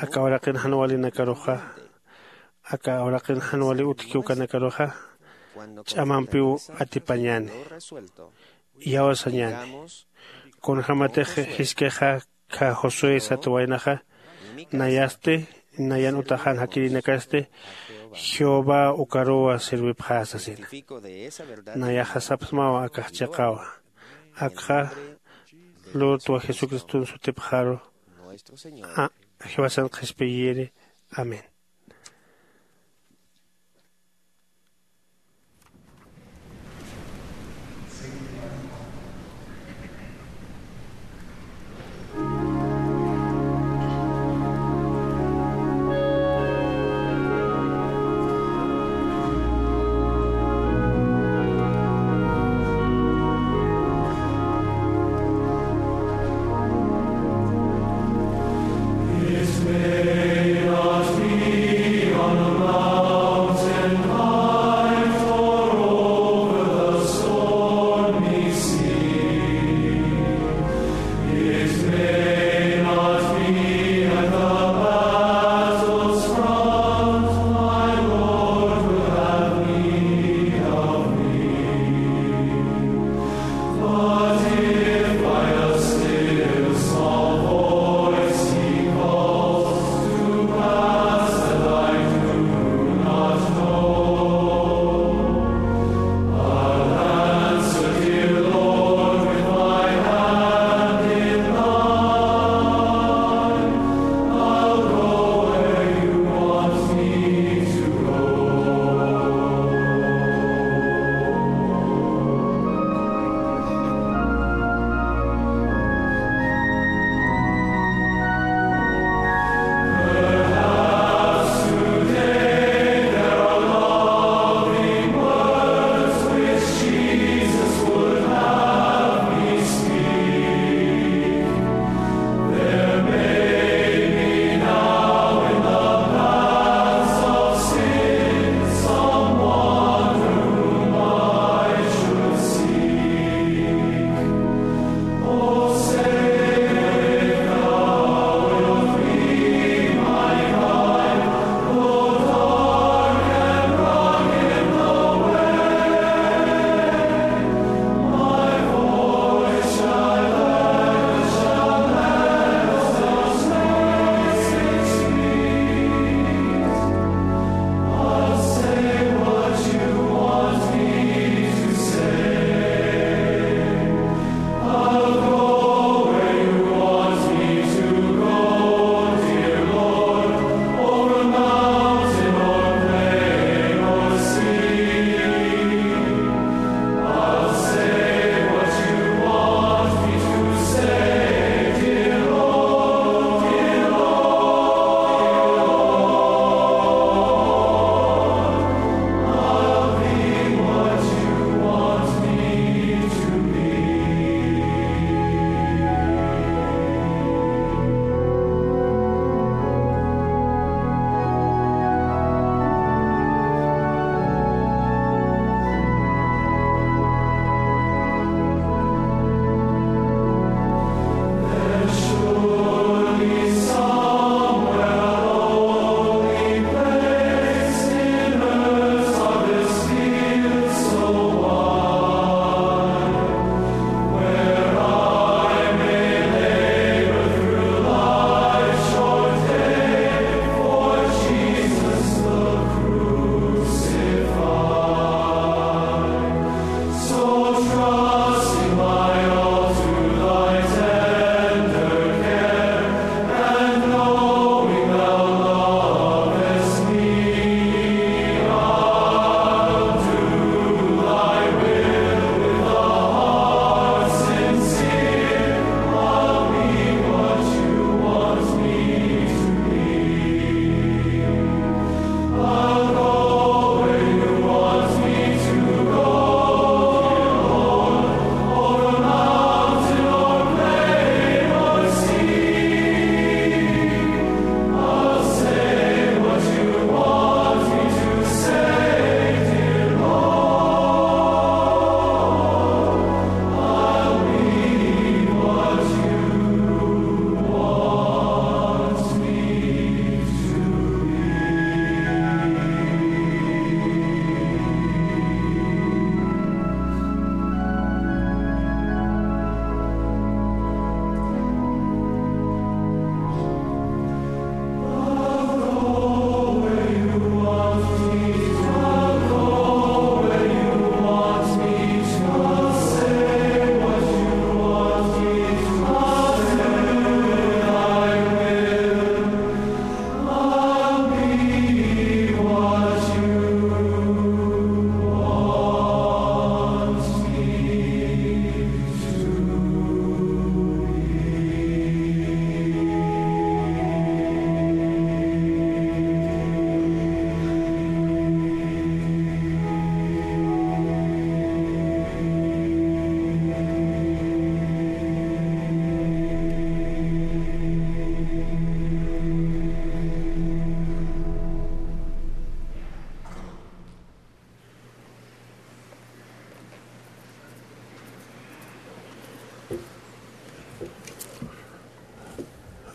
aka uraqin jan walinakaruxa aka uraqin jan wali utjki ukanakaruxa ch'amampiw atipañäni, iyawsañäni. Kunjämatix jiskixa kha Josué sat waynaxa nayasti, nayan utaxan jakirinakasti Jehová ukaruwa sirwipxä sasina. Nayaxa sapxsmawa akax chiqawa. Akxa lurtwa Jesucriston sutipxaru. Jiwasan qhispiyiri. Amén.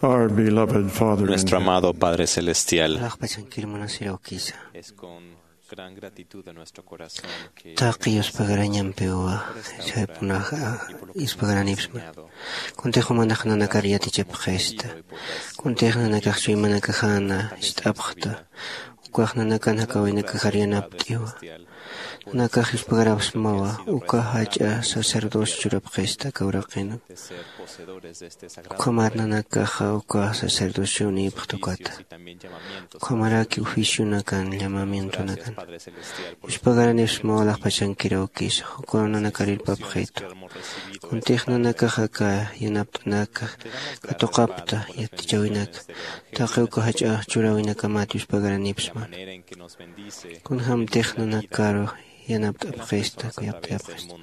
Our beloved Father in Nuestro heaven, amado Padre Celestial, Alaxpachankir munasirawkisa. Es con gran gratitud de nuestro corazón que taqi yuspagarañampiwa chaypunaxa yuspagaranipisma. Kuntix jumanakar yatichapxista. Kuntix nanakax chuymanakajana ist'apxta. Ukax nanakan jakawinakajar yanapt'iwa. Nanakax yuspagarapsmawa uka jach'a sacerdocio churapxista kawraqina. Ukhamat nanakaxa uka sacerdocio niypxta ukata. Ukhamaraki oficionakan llamamientonakan yuspagaranipismawa. Alaxpachankiraw kisa ukaw nanakarirpapxitu. Kuntix nanakaxa aka yanapt'anaka katuqapta yatichawinaka. Taqi uka jach'a churawinakamat yuspagaranipisma. Kunjämtix nanakaru yanapt'apxista kuyapt'ayapxista.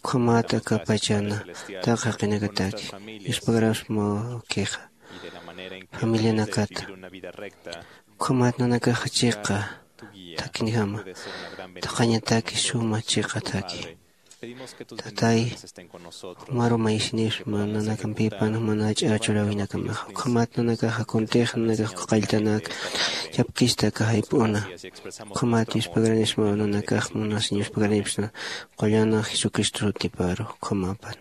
Ukhamat aka pachana taqi jaqinakataki yuspagarapsmawakixa familianakata. Ukhamat nanakaxa chiqa thakinjama taqañataki suma chiqa thaki. Tatay, jumaru maysinipsma nanakampïpan juman jach'a churäwinakamaxa. Ukhamat nanakaxa kuntix nanakax uka qalltanak chapkista aka jayp'una. Ukhamat yuspagaranipisma nanakax munasiñ yuspagaranipisna. Qullan jesucristo sutiparu ukhamapan.